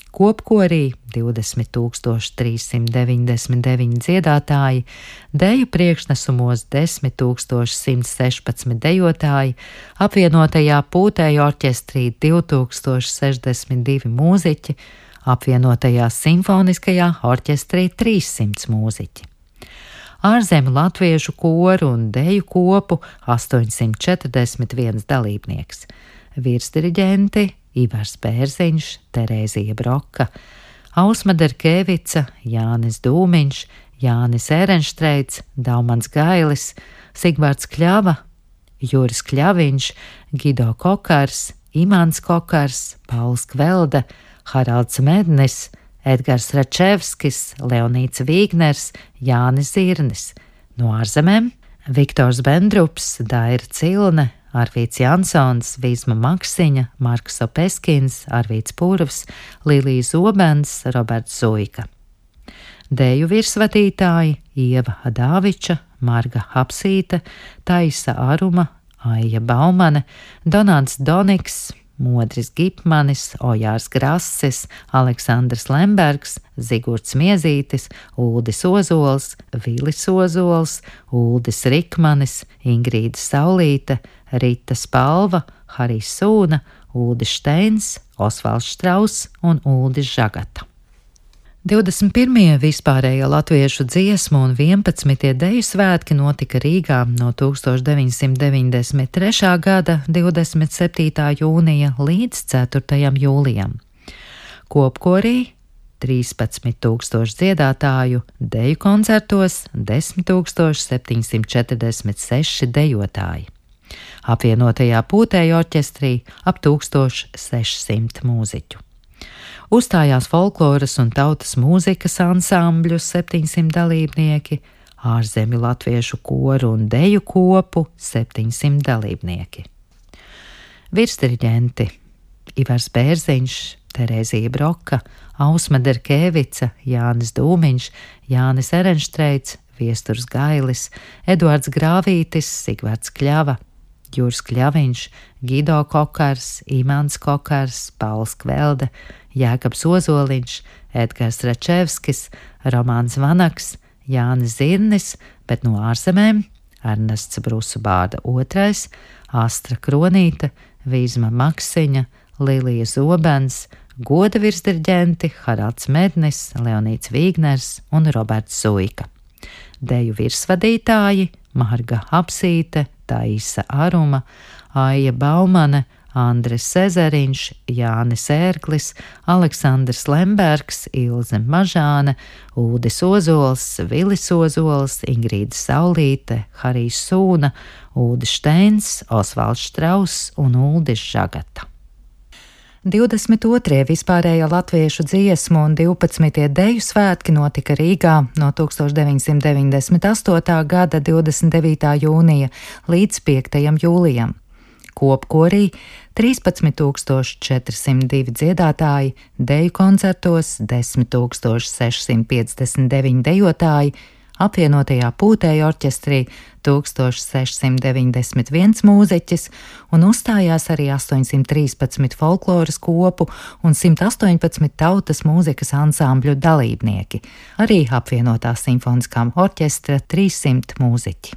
Kopkorī 20,399 dziedātāji, deju priekšnesumos 10,116 dejotāji, apvienotajā pūtēju orķestrī 2062 mūziķi, apvienotajā simfoniskajā orķestrī 300 mūziķi. Ārzemju latviešu koru un deju kopu 841 dalībnieks, virsdiriģenti Ivars Bērziņš, Terēzija Broka, Ausma Derkevica, Jānis Dūmiņš, Jānis Ērenštreits, Daumans Gailis, Sigvards Kļava, Juris Kļaviņš, Gido Kokars, Imants Kokars, Pauls Kvelda, Haralds Mednis, Edgars Račevskis, Leonīts Vīgners, Jānis Zirnis. No ārzemēm Viktors Bendrups, Daira Cilne, Arvīts Jansons, Vīsma Maksiņa, Marks Opeskins, Arvīts Purvs, Lilija Zobens, Roberts Zuika. Deju virsvadītāji Ieva Adāviča, Marga Hapsīte, Taisa Aruma, Aija Baumane, Donāts Doniks, Modris Gipmanis, Ojārs Grasis, Aleksandrs Lembergs, Zigurds Miezītis, Uldis Ozols, Vilis Ozols, Uldis Rikmanis, Ingrīda Saulīte, Rita Spalva, Harijs Sūna, Uldis Šteins, Osvalds Štrauss un Uldis Žagata. 21. vispārējā latviešu dziesmu un 11. deju svētki notika Rīgā no 1993. gada 27. jūnija līdz 4. jūlijam. Kopkorī 13,000 dziedātāju, deju koncertos 10,746 dejotāji. Apvienotajā pūtēju orķestrī ap 1600 mūziķu. Uzstājās folkloras un tautas mūzikas ansambļu 700 dalībnieki, ārzemju latviešu koru un deju kopu 700 dalībnieki. Virsdiriģenti Ivars Bērziņš, Terēzija Broka, Ausma Derkevica, Jānis Dūmiņš, Jānis Ērenštreits, Viesturs Gailis, Eduards Grāvītis, Sigvards Kļava, Juris Kļaviņš, Gido Kokars, Imants Kokars, Pauls Kvelda, Jēkabs Ozoliņš, Edgars Račevskis, Romāns Vanaks, Jānis Zirnis, bet no ārzemēm Ernests Brusubārda II, Astra Kronīte, Vīsma Maksiņa, Lilija Zobens, goda virsdiriģenti Haralds Mednis, Leonīts Vīgners un Roberts Zuika. Deju virsvadītāji Marga Hapsīte, Taisa Aruma, Aija Baumane, Andris Sezeriņš, Jānis Ērglis, Aleksandrs Lembergs, Ilze Mažāne, Uldis Ozols, Vilis Ozols, Ingrīda Saulīte, Harijs Sūna, Uldis Šteins, Osvalds Štrauss un Uldis Žagata. 22. vispārējā latviešu dziesmu un 12. deju svētki notika Rīgā no 1998. gada 29. jūnija līdz 5. jūlijam. Kopkorī 13,402 dziedātāji, deju koncertos 10,659 dejotāji, apvienotajā pūtēju orķestrī 1691 mūziķis un uzstājās arī 813 folkloras kopu un 118 tautas mūzikas ansambļu dalībnieki, arī apvienotā simfoniskām orķestra 300 mūziķi.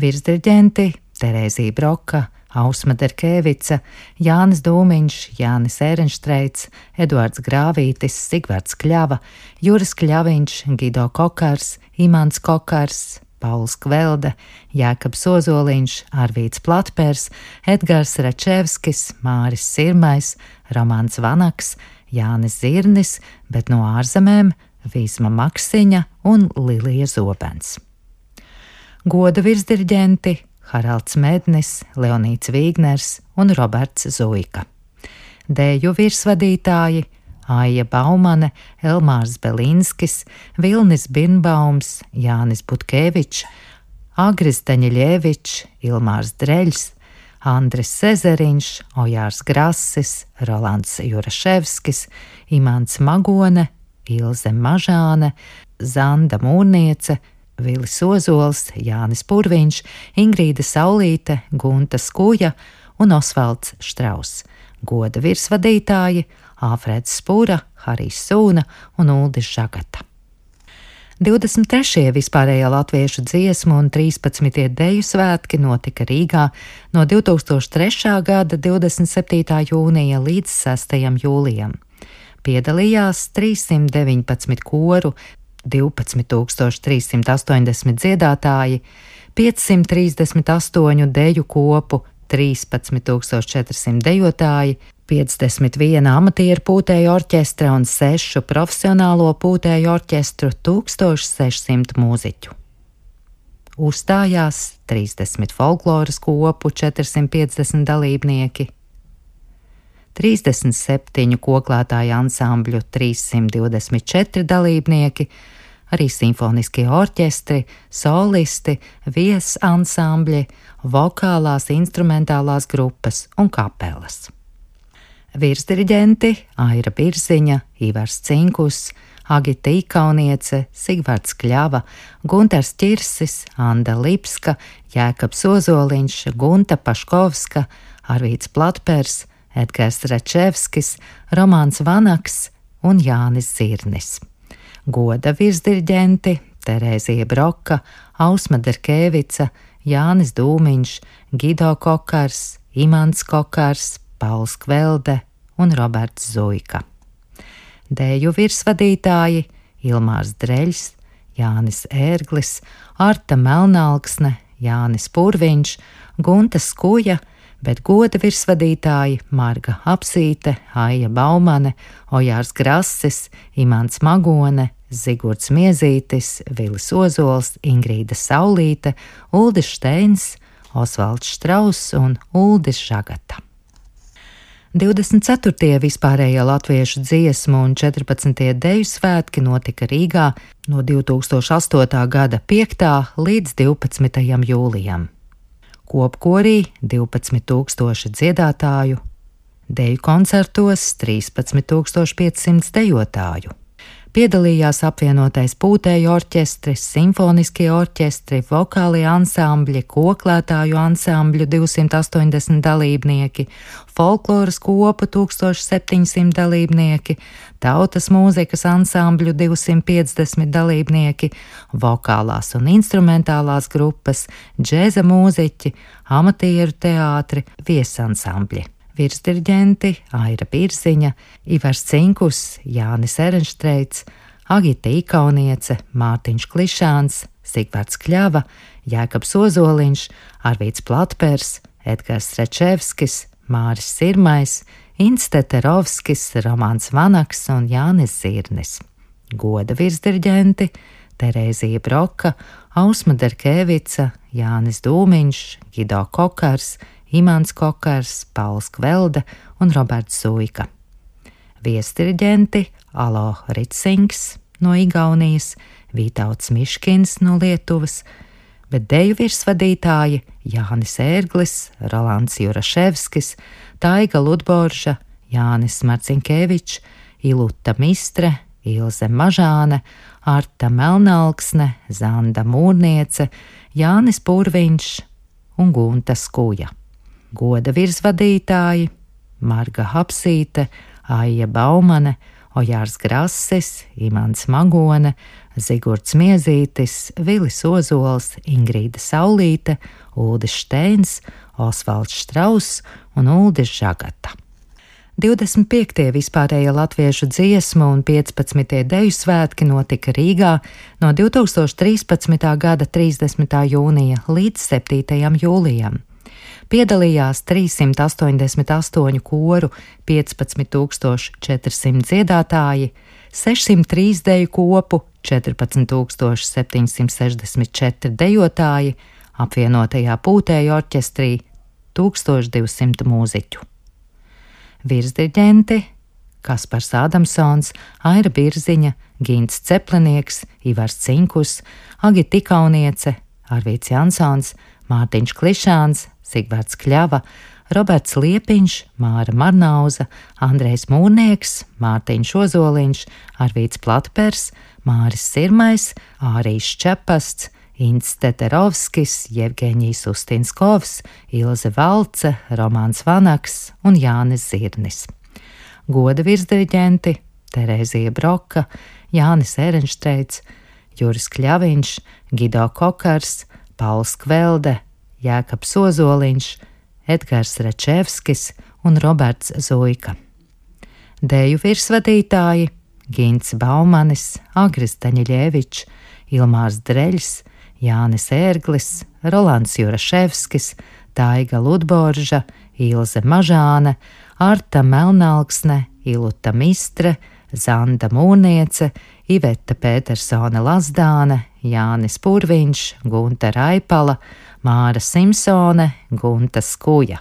Virsdiriģenti Terēzija Broka, Ausma Derkevica, Jānis Dūmiņš, Jānis Ērenštreits, Eduards Grāvītis, Sigvards Kļava, Juris Kļaviņš, Gido Kokars, Imants Kokars, Pauls Kvelde, Jēkabs Ozoliņš, Arvīds Platpers, Edgars Račevskis, Māris Sirmais, Romāns Vanaks, Jānis Zirnis, bet no ārzemēm Vīsma Maksiņa un Lilija Zobens. Goda virsdiriģenti Haralds Mednis, Leonīds Vīgners un Roberts Zuika. Dēju virsvadītāji Aija Baumane, Elmārs Belinskis, Vilnis Birnbaums, Jānis Butkevičs, Agris Daņiļevičs, Ilmārs Dreļs, Andris Sezeriņš, Ojārs Grasis, Rolands Juraševskis, Imants Magone, Ilze Mažāne, Zanda Mūrniece, Vilis Ozols, Jānis Purviņš, Ingrīda Saulīte, Gunta Skuja un Osvalds Štrauss. Goda virsvadītāji Āfrēds Spura, Harijs Sūna un Uldis Žagata. 23. vispārējā latviešu dziesmu un 13. deju svētki notika Rīgā no 2003. gada 27. jūnija līdz 6. jūlijam. Piedalījās 319 koru, 12,380 dziedātāji, 538 deju kopu, 13,400 dejotāji, 51 amatieru pūtēju orķestra un 6 profesionālo pūtēju orķestru, 1600 mūziķu. Uzstājās 30 folkloras kopu, 450 dalībnieki, 37 koklētāju ansambļu, 324 dalībnieki, arī simfoniskie orķestri, solisti, viesansambļi, vokālās instrumentālās grupas un kapelas. Virsdiriģenti Aira Birziņa, Ivars Cinkus, Agita Ikauniece, Sigvards Kļava, Guntars Ķirsis, Anda Lipska, Jēkabs Ozoliņš, Gunta Paškovska, Arvīds Platpers, Edgars Račevskis, Romāns Vanaks un Jānis Zirnis. Goda virsdiriģenti Terēzija Broka, Ausma Derkevica, Jānis Dūmiņš, Gido Kokars, Imants Kokars, Pauls Kvelde un Roberts Zuika. Dēju virsvadītāji Ilmārs Dreļs, Jānis Ērglis, Arta Melnalksne, Jānis Purviņš, Gunta Skuja, bet goda virsvadītāji Marga Apsīte, Aija Baumane, Ojārs Grasis, Imants Magone, Zigurds Miezītis, Vilis Ozols, Ingrīda Saulīte, Uldis Šteins, Osvalds Štrauss un Uldis Žagata. 24. vispārējā latviešu dziesmu un 14. deju svētki notika Rīgā no 2008. gada 5. līdz 12. jūlijam. Kopkorī 12,000 dziedātāju, deju koncertos 13,500 dejotāju. Piedalījās apvienotais pūtēju orķestris, simfoniskie orķestri, vokālie ansambļi, koklētāju ansambļu 280 dalībnieki, folkloras kopu 1700 dalībnieki, tautas mūzikas ansambļu 250 dalībnieki, vokālās un instrumentālās grupas, džēza mūziķi, amatieru teātri, viesansambļi. Virsdiriģenti Aira Birziņa, Ivars Cinkus, Jānis Ērenštreits, Agita Ikauniece, Mārtiņš Klišāns, Sigvards Kļava, Jēkabs Ozoliņš, Arvīds Platpers, Edgars Račevskis, Māris Sirmais, Ints Teterovskis, Romāns Vanaks un Jānis Zirnis. Goda virsdiriģenti Terēzija Broka, Ausma Derkevica, Jānis Dūmiņš, Gido Kokars, Imants Kokars, Pauls Kvelde un Roberts Zuika. Viesdiriģenti Alo Ritsings no Igaunijas, Vītauts Miškins no Lietuvas, bet deju virsvadītāji Jānis Ērglis, Rolands Juraševskis, Taiga Ludborža, Jānis Marcinkevičs, Iluta Mistre, Ilze Mažāne, Arta Melnalksne, Zanda Mūrniece, Jānis Purviņš un Gunta Skuja. Goda virsvadītāji Marga Hapsīte, Aija Baumane, Ojārs Grasis, Imants Magone, Zigurds Miezītis, Vilis Ozols, Ingrīda Saulīte, Uldis Šteins, Osvalds Štrauss un Uldis Žagata. 25. vispārējie latviešu dziesmu un 15. deju svētki notika Rīgā no 2013. gada 30. jūnija līdz 7. jūlijam. Piedalījās 388 koru, 15,400 dziedātāji, 603 deju kopu, 14,764 dejotāji, apvienotajā pūtēju orķestrī 1200 mūziķu. Virsdirģenti Kaspars Ādamsons, Aira Birziņa, Gints Ceplinieks, Ivars Cinkus, Agita Ikauniece, Arvīts Jansons, Mārtiņš Klišāns, Sigvards Kļava, Roberts Liepiņš, Māra Marnauza, Andrejs Mūrnieks, Mārtiņš Ozoliņš, Arvīts Platpers, Māris Sirmais, Ārīs Čepasts, Ints Teterovskis, Jevgeņijs Ustinskovs, Ilze Valce, Romāns Vanaks un Jānis Zirnis. Goda virsdiriģenti Terēzija Broka, Jānis Erenštreits, Juris Kļaviņš, Gido Kokars, Pauls Kvelde, Jēkabs Ozoliņš, Edgars Račevskis un Roberts Zuika. Deju virsvadītāji Gints Baumanis, Agris Daņiļevičs, Ilmārs Dreļs, Jānis Ērglis, Rolands Juraševskis, Taiga Ludborža, Ilze Mažāne, Arta Melnalksne, Iluta Mistre, Zanda Mūrniece, Iveta Pētersone Lazdāne, Jānis Purviņš, Gunta Raipala, Māra Simpsone, Gunta Skuja.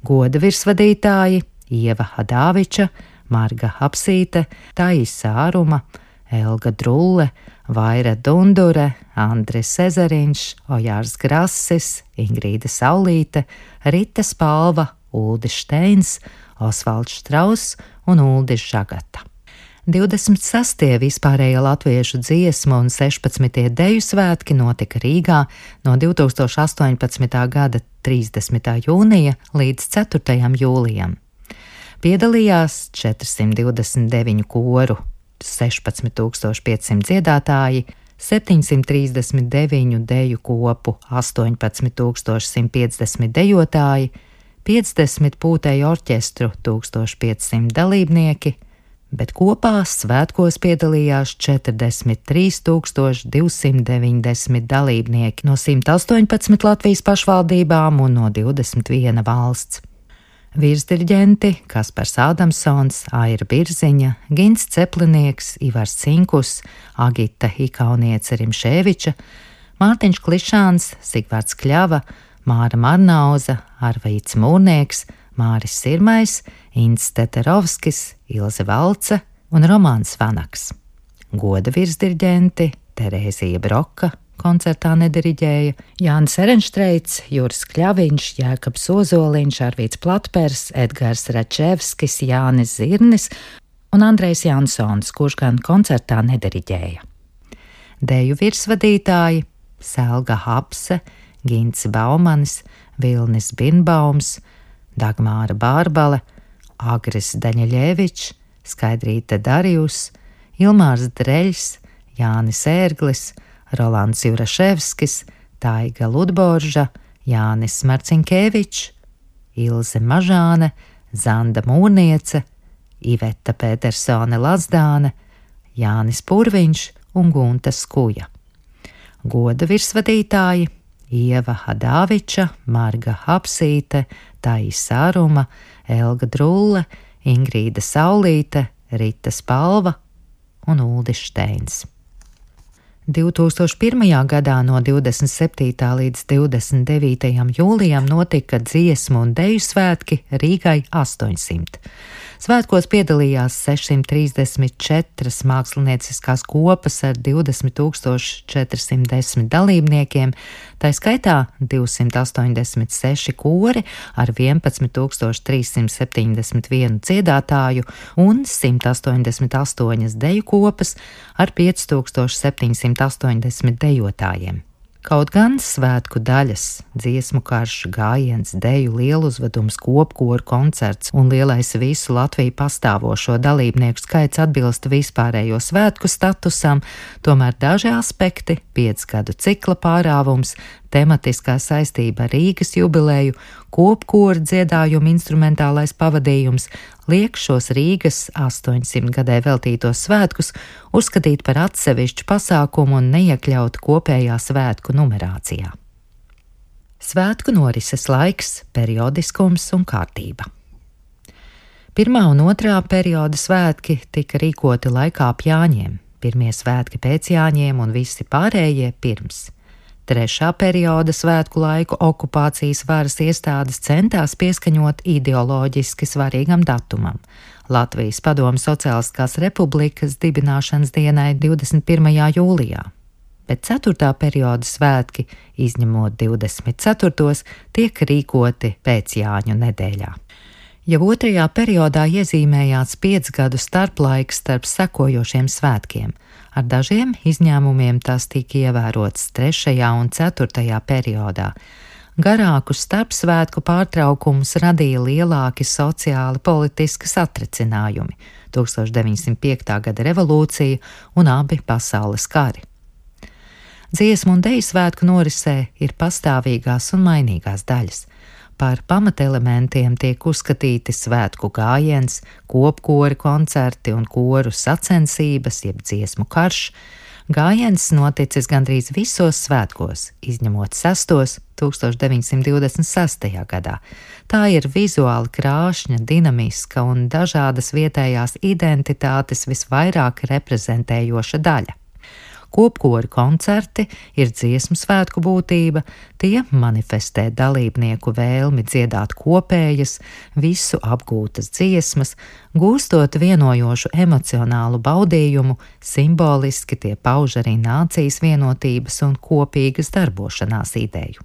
Goda virsvadītāji Ieva Hadāviča, Marga Hapsīte, Taisa Aruma, Elga Drulle, Vaira Dundure, Andris Ezeriņš, Ojārs Grasis, Ingrīda Saulīte, Rita Spalva, Uldis Šteins, Osvalds Štrauss un Uldis Žagata. 26. vispārējie latviešu dziesmu un 16. deju svētki notika Rīgā no 2018. gada 30. jūnija līdz 4. jūlijam. Piedalījās 429 koru, 16,500 dziedātāji, 739 deju kopu, 18,150 dejotāji, 50 pūtēju orķestru, 1500 dalībnieki, bet kopā svētkos piedalījās 43,290 dalībnieki no 118 Latvijas pašvaldībām un no 21 valsts. Virsdirģenti Kaspars Ādamsons, Aira Birziņa, Gints Ceplinieks, Ivars Cinkus, Agita Ikauniece Rimšēviča, Mārtiņš Klišāns, Sigvards Kļava, Māra Marnauza, Arvīts Mūrnieks, Māris Sirmais, Ints Teterovskis, Ilze Valce un Romāns Vanaks. Goda virsdirģenti Terēzija Broka koncertā nediriģēja, Jānis Erenštreits, Juris Kļaviņš, Jēkabs Ozoliņš, Arvīts Platpers, Edgars Račevskis, Jānis Zirnis un Andrejs Jansons, kurš gan koncertā nediriģēja. Deju virsvadītāji Selga Hapse, Gints Baumanis, Vilnis Birnbaums, Dagmāra Bārbale, Agris Daņiļevičs, Skaidrīte Darjus, Ilmārs Dreļs, Jānis Ērglis, Rolands Juraševskis, Taiga Ludborža, Jānis Marcinkevičs, Ilze Mažāne, Zanda Mūrniece, Iveta Pētersone Lazdāne, Jānis Purviņš un Gunta Skuja. Goda virsvadītāji Ieva Hadāviča, Marga Hapsīte, Taisa Aruma, Elga Drulle, Ingrīda Saulīte, Rita Spalva un Uldis Šteins. 2001. gadā no 27. līdz 29. jūlijam notika dziesmu un deju svētki Rīgai 800. Svētkos piedalījās 634 mākslinieciskās kopas ar 20,410 dalībniekiem, tā skaitā 286 kori ar 11,371 dziedātāju un 188 deju kopas ar 5,780 dejotājiem. Kaut gan svētku daļas, dziesmu karš, gājiens, deju lieluzvedums, kopkoru koncerts un lielais visu Latviju pastāvošo dalībnieku skaits atbilst vispārējo svētku statusam, tomēr daži aspekti, 5 gadu cikla pārāvums, tematiskā saistība ar Rīgas jubileju, kopkoru dziedājumu instrumentālais pavadījums liek šos Rīgas 800 gadē veltītos svētkus uzskatīt par atsevišķu pasākumu un neiekļaut kopējā svētku numerācijā. Svētku norises laiks, periodiskums un kārtība. Pirmā un otrā perioda svētki tika rīkoti laikā ap Jāņiem, pirmie svētki pēc Jāņiem un visi pārējie pirms. Trešā perioda svētku laiku okupācijas varas iestādes centās pieskaņot ideoloģiski svarīgam datumam – Latvijas Padomju Sociālistiskās Republikas dibināšanas dienai 21. jūlijā. Bet 4. perioda svētki, izņemot 24. tiek rīkoti pēc Jāņu nedēļā. Jau 2. periodā iezīmējās 5 gadu starplaiks starp sekojošiem svētkiem. Ar dažiem izņēmumiem tas tika ievērots 3. un 4. periodā. Garākus starpsvētku pārtraukumus radīja lielāki sociāli politiski satricinājumi – 1905. gada revolūcija un abi pasaules kari. Dziesmu un deju svētku norisē ir pastāvīgās un mainīgās daļas. Par pamatelementiem tiek uzskatīti svētku gājiens, kopkori koncerti un koru sacensības, jeb dziesmu karš. Gājiens noticis gandrīz visos svētkos, izņemot 6. 1926. gadā. Tā ir vizuāli krāšņa, dinamiska un dažādas vietējās identitātes visvairāk reprezentējoša daļa. Kopkoru koncerti ir dziesmu svētku būtība, tie manifestē dalībnieku vēlmi dziedāt kopējas, visu apgūtas dziesmas, gūstot vienojošu emocionālu baudījumu, simboliski tie pauž arī nācijas vienotības un kopīgas darbošanās ideju.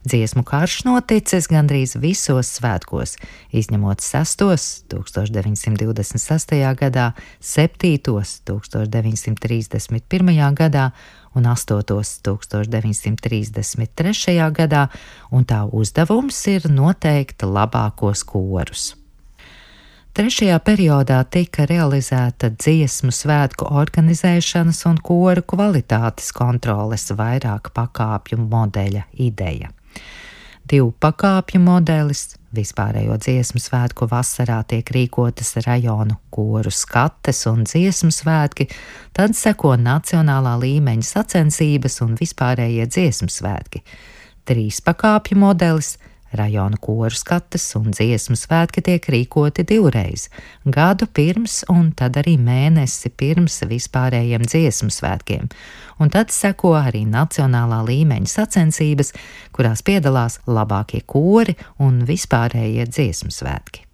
Dziesmu karš noticis gandrīz visos svētkos, izņemot 6. 1926. gadā, 7. 1931. gadā un 8. 1933. gadā, un tā uzdevums ir noteikt labākos korus. 3. periodā tika realizēta dziesmu svētku organizēšanas un koru kvalitātes kontroles vairāk pakāpju modeļa ideja. 2 pakāpju modelis, vispārējo dziesmu svētku vasarā tiek rīkotas rajonu koru skates un dziesmu svētki, tad seko nacionālā līmeņa sacensības un vispārējie dziesmu svētki. 3 pakāpju modelis, rajonu koru skates un dziesmu svētki tiek rīkoti 2 reiz – gadu pirms un tad arī mēnesi pirms vispārējiem dziesmu svētkiem, un tad seko arī nacionālā līmeņa sacensības, kurās piedalās labākie kori un vispārējie dziesmu svētki.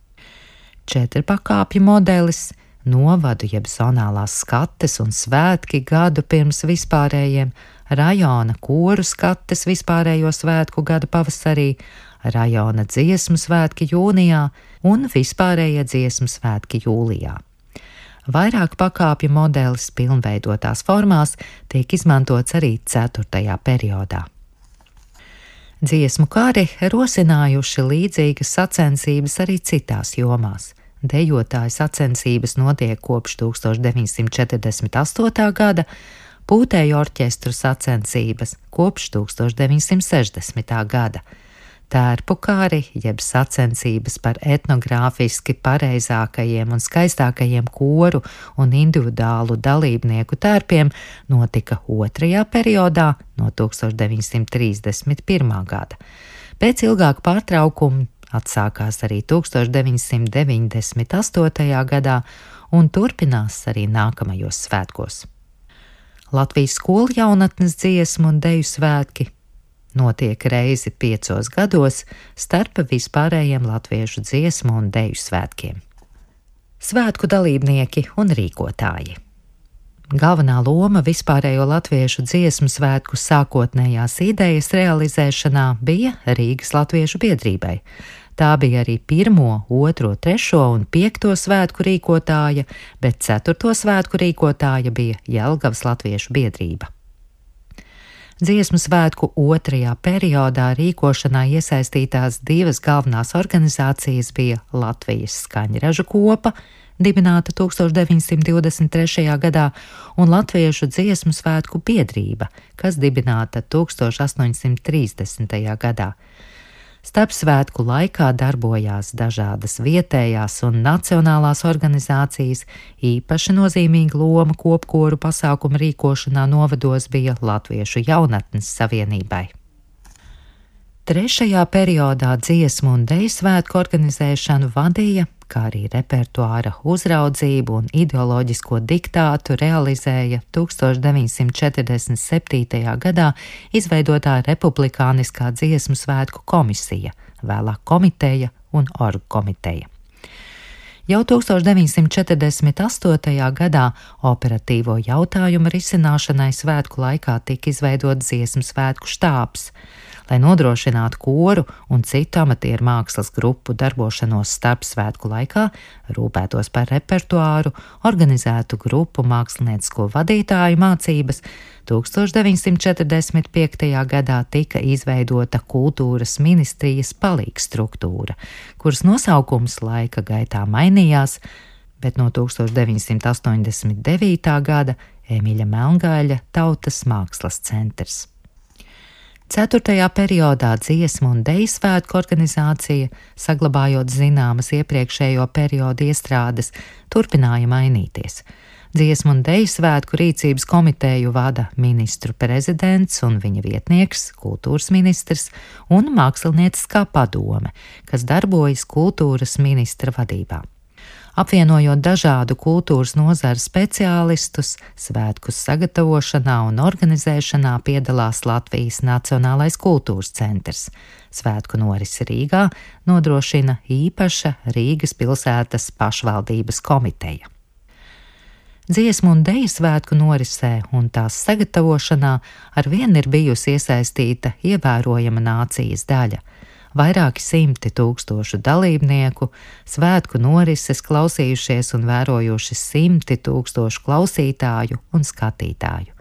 4 pakāpju modelis, novadu jeb zonālās skates un svētki gadu pirms vispārējiem, rajona koru skates vispārējo svētku gada pavasarī, rajona dziesmu svētki jūnijā un vispārējie dziesmu svētki jūlijā. Vairāk pakāpju modelis pilnveidotās formās tiek izmantots arī 4. periodā. Dziesmu kari rosinājuši līdzīgas sacensības arī citās jomās. Dejotāju sacensības notiek kopš 1948. gada, pūtēju orķestru sacensības kopš 1960. gada. Tērpu kari, jeb sacensības par etnogrāfiski pareizākajiem un skaistākajiem koru un individuālu dalībnieku tērpiem notika 2. periodā no 1931. gada. Pēc ilgāka pārtraukuma atsākās arī 1998. gadā un turpinās arī nākamajos svētkos. Latvijas skolu jaunatnes dziesmu un deju svētki notiek reizi 5 gados starp vispārējiem latviešu dziesmu un deju svētkiem. Svētku dalībnieki un rīkotāji. Galvenā loma vispārējo latviešu dziesmu svētku sākotnējās idejas realizēšanā bija Rīgas latviešu biedrībai. Tā bija arī 1., 2., 3. un 5. svētku rīkotāja, bet 4. svētku rīkotāja bija Jelgavas latviešu biedrība. Dziesmu svētku 2. periodā rīkošanā iesaistītās 2 galvenās organizācijas bija Latvijas skaņražu kopa, dibināta 1923. gadā, un Latviešu dziesmu svētku biedrība, kas dibināta 1830. gadā. Starpsvētku laikā darbojās dažādas vietējās un nacionālās organizācijas, īpaši nozīmīga loma kopkoru pasākumu rīkošanā novados bija Latviešu jaunatnes savienībai. 3. periodā dziesmu un deju svētku organizēšanu vadīja, kā arī repertuāra uzraudzību un ideoloģisko diktātu realizēja 1947. gadā izveidotā Republikāniskā dziesmu svētku komisija, vēlāk komiteja un orgkomiteja. Jau 1948. gadā operatīvo jautājumu risināšanai svētku laikā tika izveidots dziesmu svētku štābs, lai nodrošinātu koru un citu amatieru mākslas grupu darbošanos starpsvētku laikā, rūpētos par repertuāru, organizētu grupu māksliniecisko vadītāju mācības. 1945. gadā tika izveidota kultūras ministrijas palīgstruktūra, kuras nosaukums laika gaitā mainījās, bet no 1989. gada Emīļa Melngaļa Tautas mākslas centrs. 4. periodā dziesmu un deju svētku organizācija, saglabājot zināmas iepriekšējo periodu iestrādes, turpināja mainīties. Dziesmu un deju svētku rīcības komiteju vada ministru prezidents un viņa vietnieks, kultūras ministrs un mākslinieciskā padome, kas darbojas kultūras ministra vadībā. Apvienojot dažādu kultūras nozaru speciālistus, svētku sagatavošanā un organizēšanā piedalās Latvijas Nacionālais kultūras centrs. Svētku norisi Rīgā nodrošina īpaša Rīgas pilsētas pašvaldības komiteja. Dziesmu un deju svētku norisē un tās sagatavošanā arvien ir bijusi iesaistīta ievērojama nācijas daļa. Vairāki simti tūkstošu dalībnieku, svētku norises klausījušies un vērojuši simti tūkstošu klausītāju un skatītāju.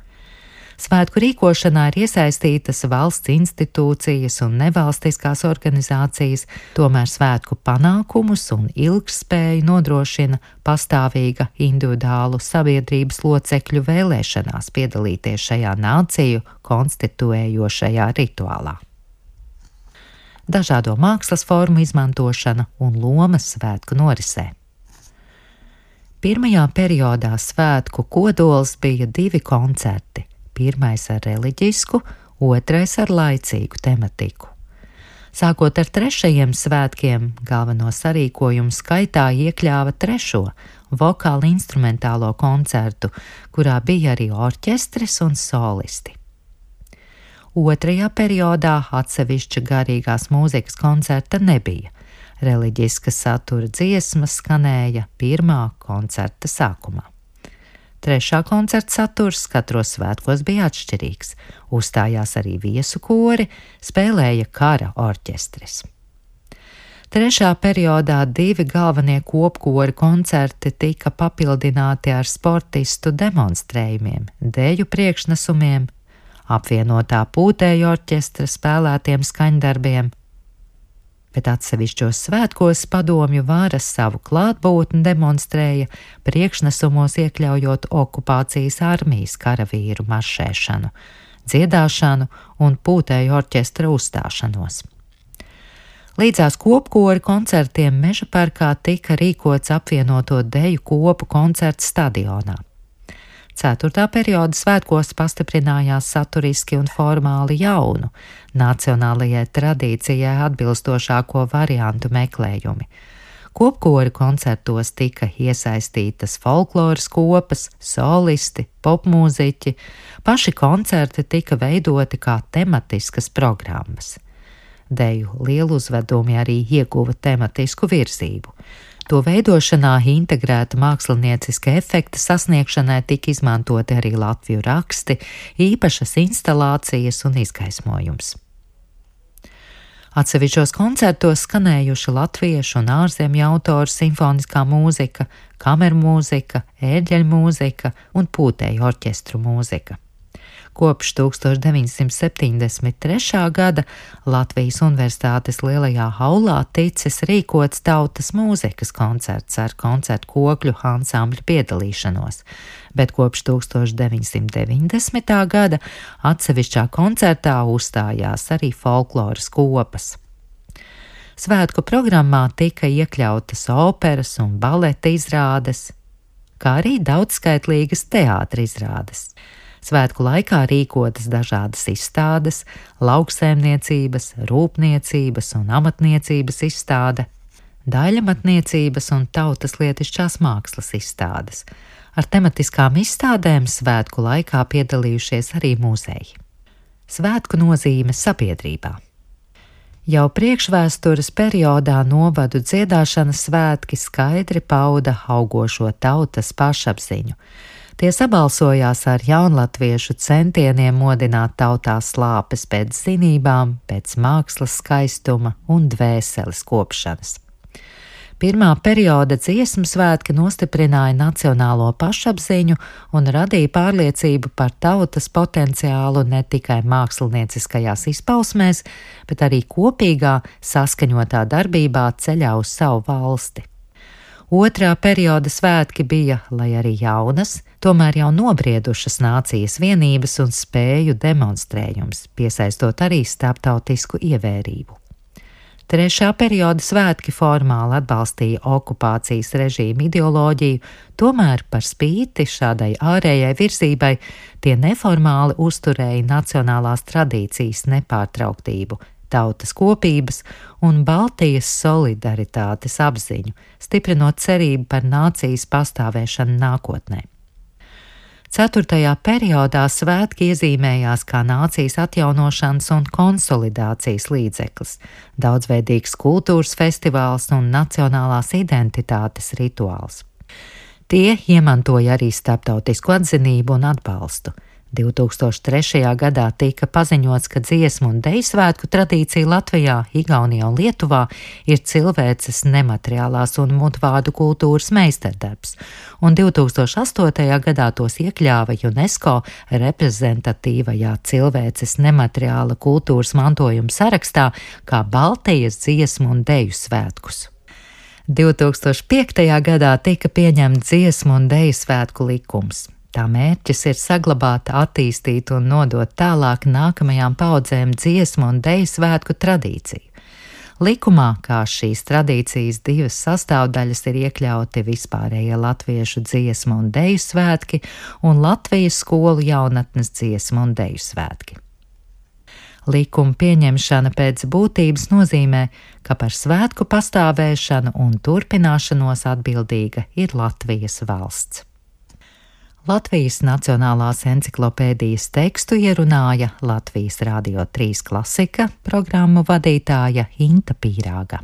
Svētku rīkošanā ir iesaistītas valsts institūcijas un nevalstiskās organizācijas, tomēr svētku panākumus un ilgspēju nodrošina pastāvīga individuālu sabiedrības locekļu vēlēšanās piedalīties šajā nāciju konstituējošajā rituālā. Dažādo mākslas formu izmantošana un lomas svētku norisē. 1. periodā svētku kodols bija 2 koncerti, 1. ar reliģisku, 2. ar laicīgu tematiku. Sākot ar 3. svētkiem, galveno sarīkojumu skaitā iekļāva 3. vokāli instrumentālo koncertu, kurā bija arī orķestris un solisti. 2. periodā atsevišķa garīgās mūzikas koncerta nebija. Reliģiska satura dziesmas skanēja 1. koncerta sākumā. 3. koncerta saturs katros svētkos bija atšķirīgs. Uzstājās arī viesu kori, spēlēja kara orķestris. 3. periodā 2 galvenie kopkori koncerti tika papildināti ar sportistu demonstrējumiem, deju priekšnesumiem, apvienotā pūtēju orķestra spēlētiem skaņdarbiem, bet atsevišķos svētkos padomju vara savu klātbūtni demonstrēja, priekšnesumos iekļaujot okupācijas armijas karavīru maršēšanu, dziedāšanu un pūtēju orķestra uzstāšanos. Līdzās kopkori koncertiem Mežaparkā tika rīkots apvienoto deju kopu koncerts stadionā. 4. perioda svētkos pastiprinājās saturiski un formāli jaunu, nacionālajai tradīcijai atbilstošāko variantu meklējumi. Kopkori koncertos tika iesaistītas folkloras kopas, solisti, popmūziķi, paši koncerti tika veidoti kā tematiskas programmas. Deju lieluzvedumi arī ieguva tematisku virzību. To veidošanā integrēta mākslinieciska efekta sasniegšanai tika izmantoti arī latviešu raksti, īpašas instalācijas un izgaismojums. Atsevišķos koncertos skanējuši latviešu un ārzemju autoru simfoniskā mūzika, kamermūzika, ērģeļmūzika un pūtēju orķestru mūzika. Kopš 1973. gada Latvijas Universitātes Lielajā haulā ticis rīkots tautas mūzikas koncerts ar koncertu kokļu ansambļu piedalīšanos, bet kopš 1990. gada atsevišķā koncertā uzstājās arī folkloras kopas. Svētku programmā tika iekļautas operas un baleta izrādes, kā arī daudzskaitlīgas teātra izrādes. Svētku laikā rīkotas dažādas izstādes, lauksaimniecības, rūpniecības un amatniecības izstāde, daļamatniecības un tautaslietišķās mākslas izstādes. Ar tematiskām izstādēm svētku laikā piedalījušies arī muzeji. Svētku nozīme sabiedrībā. Jau priekšvēstures periodā novadu dziedāšanas svētki skaidri pauda augošo tautas pašapziņu. Tie sabalsojās ar jaunlatviešu centieniem modināt tautā slāpes pēc zinībām, pēc mākslas skaistuma un dvēseles kopšanas. Pirmā perioda dziesmu svētki nostiprināja nacionālo pašapziņu un radīja pārliecību par tautas potenciālu ne tikai mākslinieciskajās izpausmēs, bet arī kopīgā, saskaņotā darbībā ceļā uz savu valsti. Otrā perioda svētki bija, lai arī jaunas, tomēr jau nobriedušas nācijas vienības un spēju demonstrējums, piesaistot arī starptautisku ievērību. Trešā perioda svētki formāli atbalstīja okupācijas režīma ideoloģiju, tomēr par spīti šādai ārējai virzībai tie neformāli uzturēja nacionālās tradīcijas nepārtrauktību, tautas kopības un Baltijas solidaritātes apziņu, stiprinot cerību par nācijas pastāvēšanu nākotnē. Ceturtajā periodā svētki iezīmējās kā nācijas atjaunošanas un konsolidācijas līdzeklis, daudzveidīgs kultūras festivāls un nacionālās identitātes rituāls. Tie iemantoja arī starptautisku atzinību un atbalstu. 2003. gadā tika paziņots, ka dziesmu un deju svētku tradīcija Latvijā, Igaunijā un Lietuvā ir cilvēces nemateriālās un mutvārdu kultūras meistardarbs, un 2008. gadā tos iekļāva UNESCO reprezentatīvajā cilvēces nemateriāla kultūras mantojuma sarakstā kā Baltijas dziesmu un deju svētkus. 2005. gadā tika pieņemts dziesmu un deju svētku likums. Tā mērķis ir saglabāt, attīstīt un nodot tālāk nākamajām paudzēm dziesmu un deju svētku tradīciju. Likumā, kā šīs tradīcijas divas sastāvdaļas, ir iekļauti vispārējie latviešu dziesmu un deju svētki un Latvijas skolu jaunatnes dziesmu un deju svētki. Likuma pieņemšana pēc būtības nozīmē, ka par svētku pastāvēšanu un turpināšanos atbildīga ir Latvijas valsts. Latvijas Nacionālās enciklopēdijas tekstu ierunāja Latvijas Radio 3 klasika programmu vadītāja Inta Pīrāga.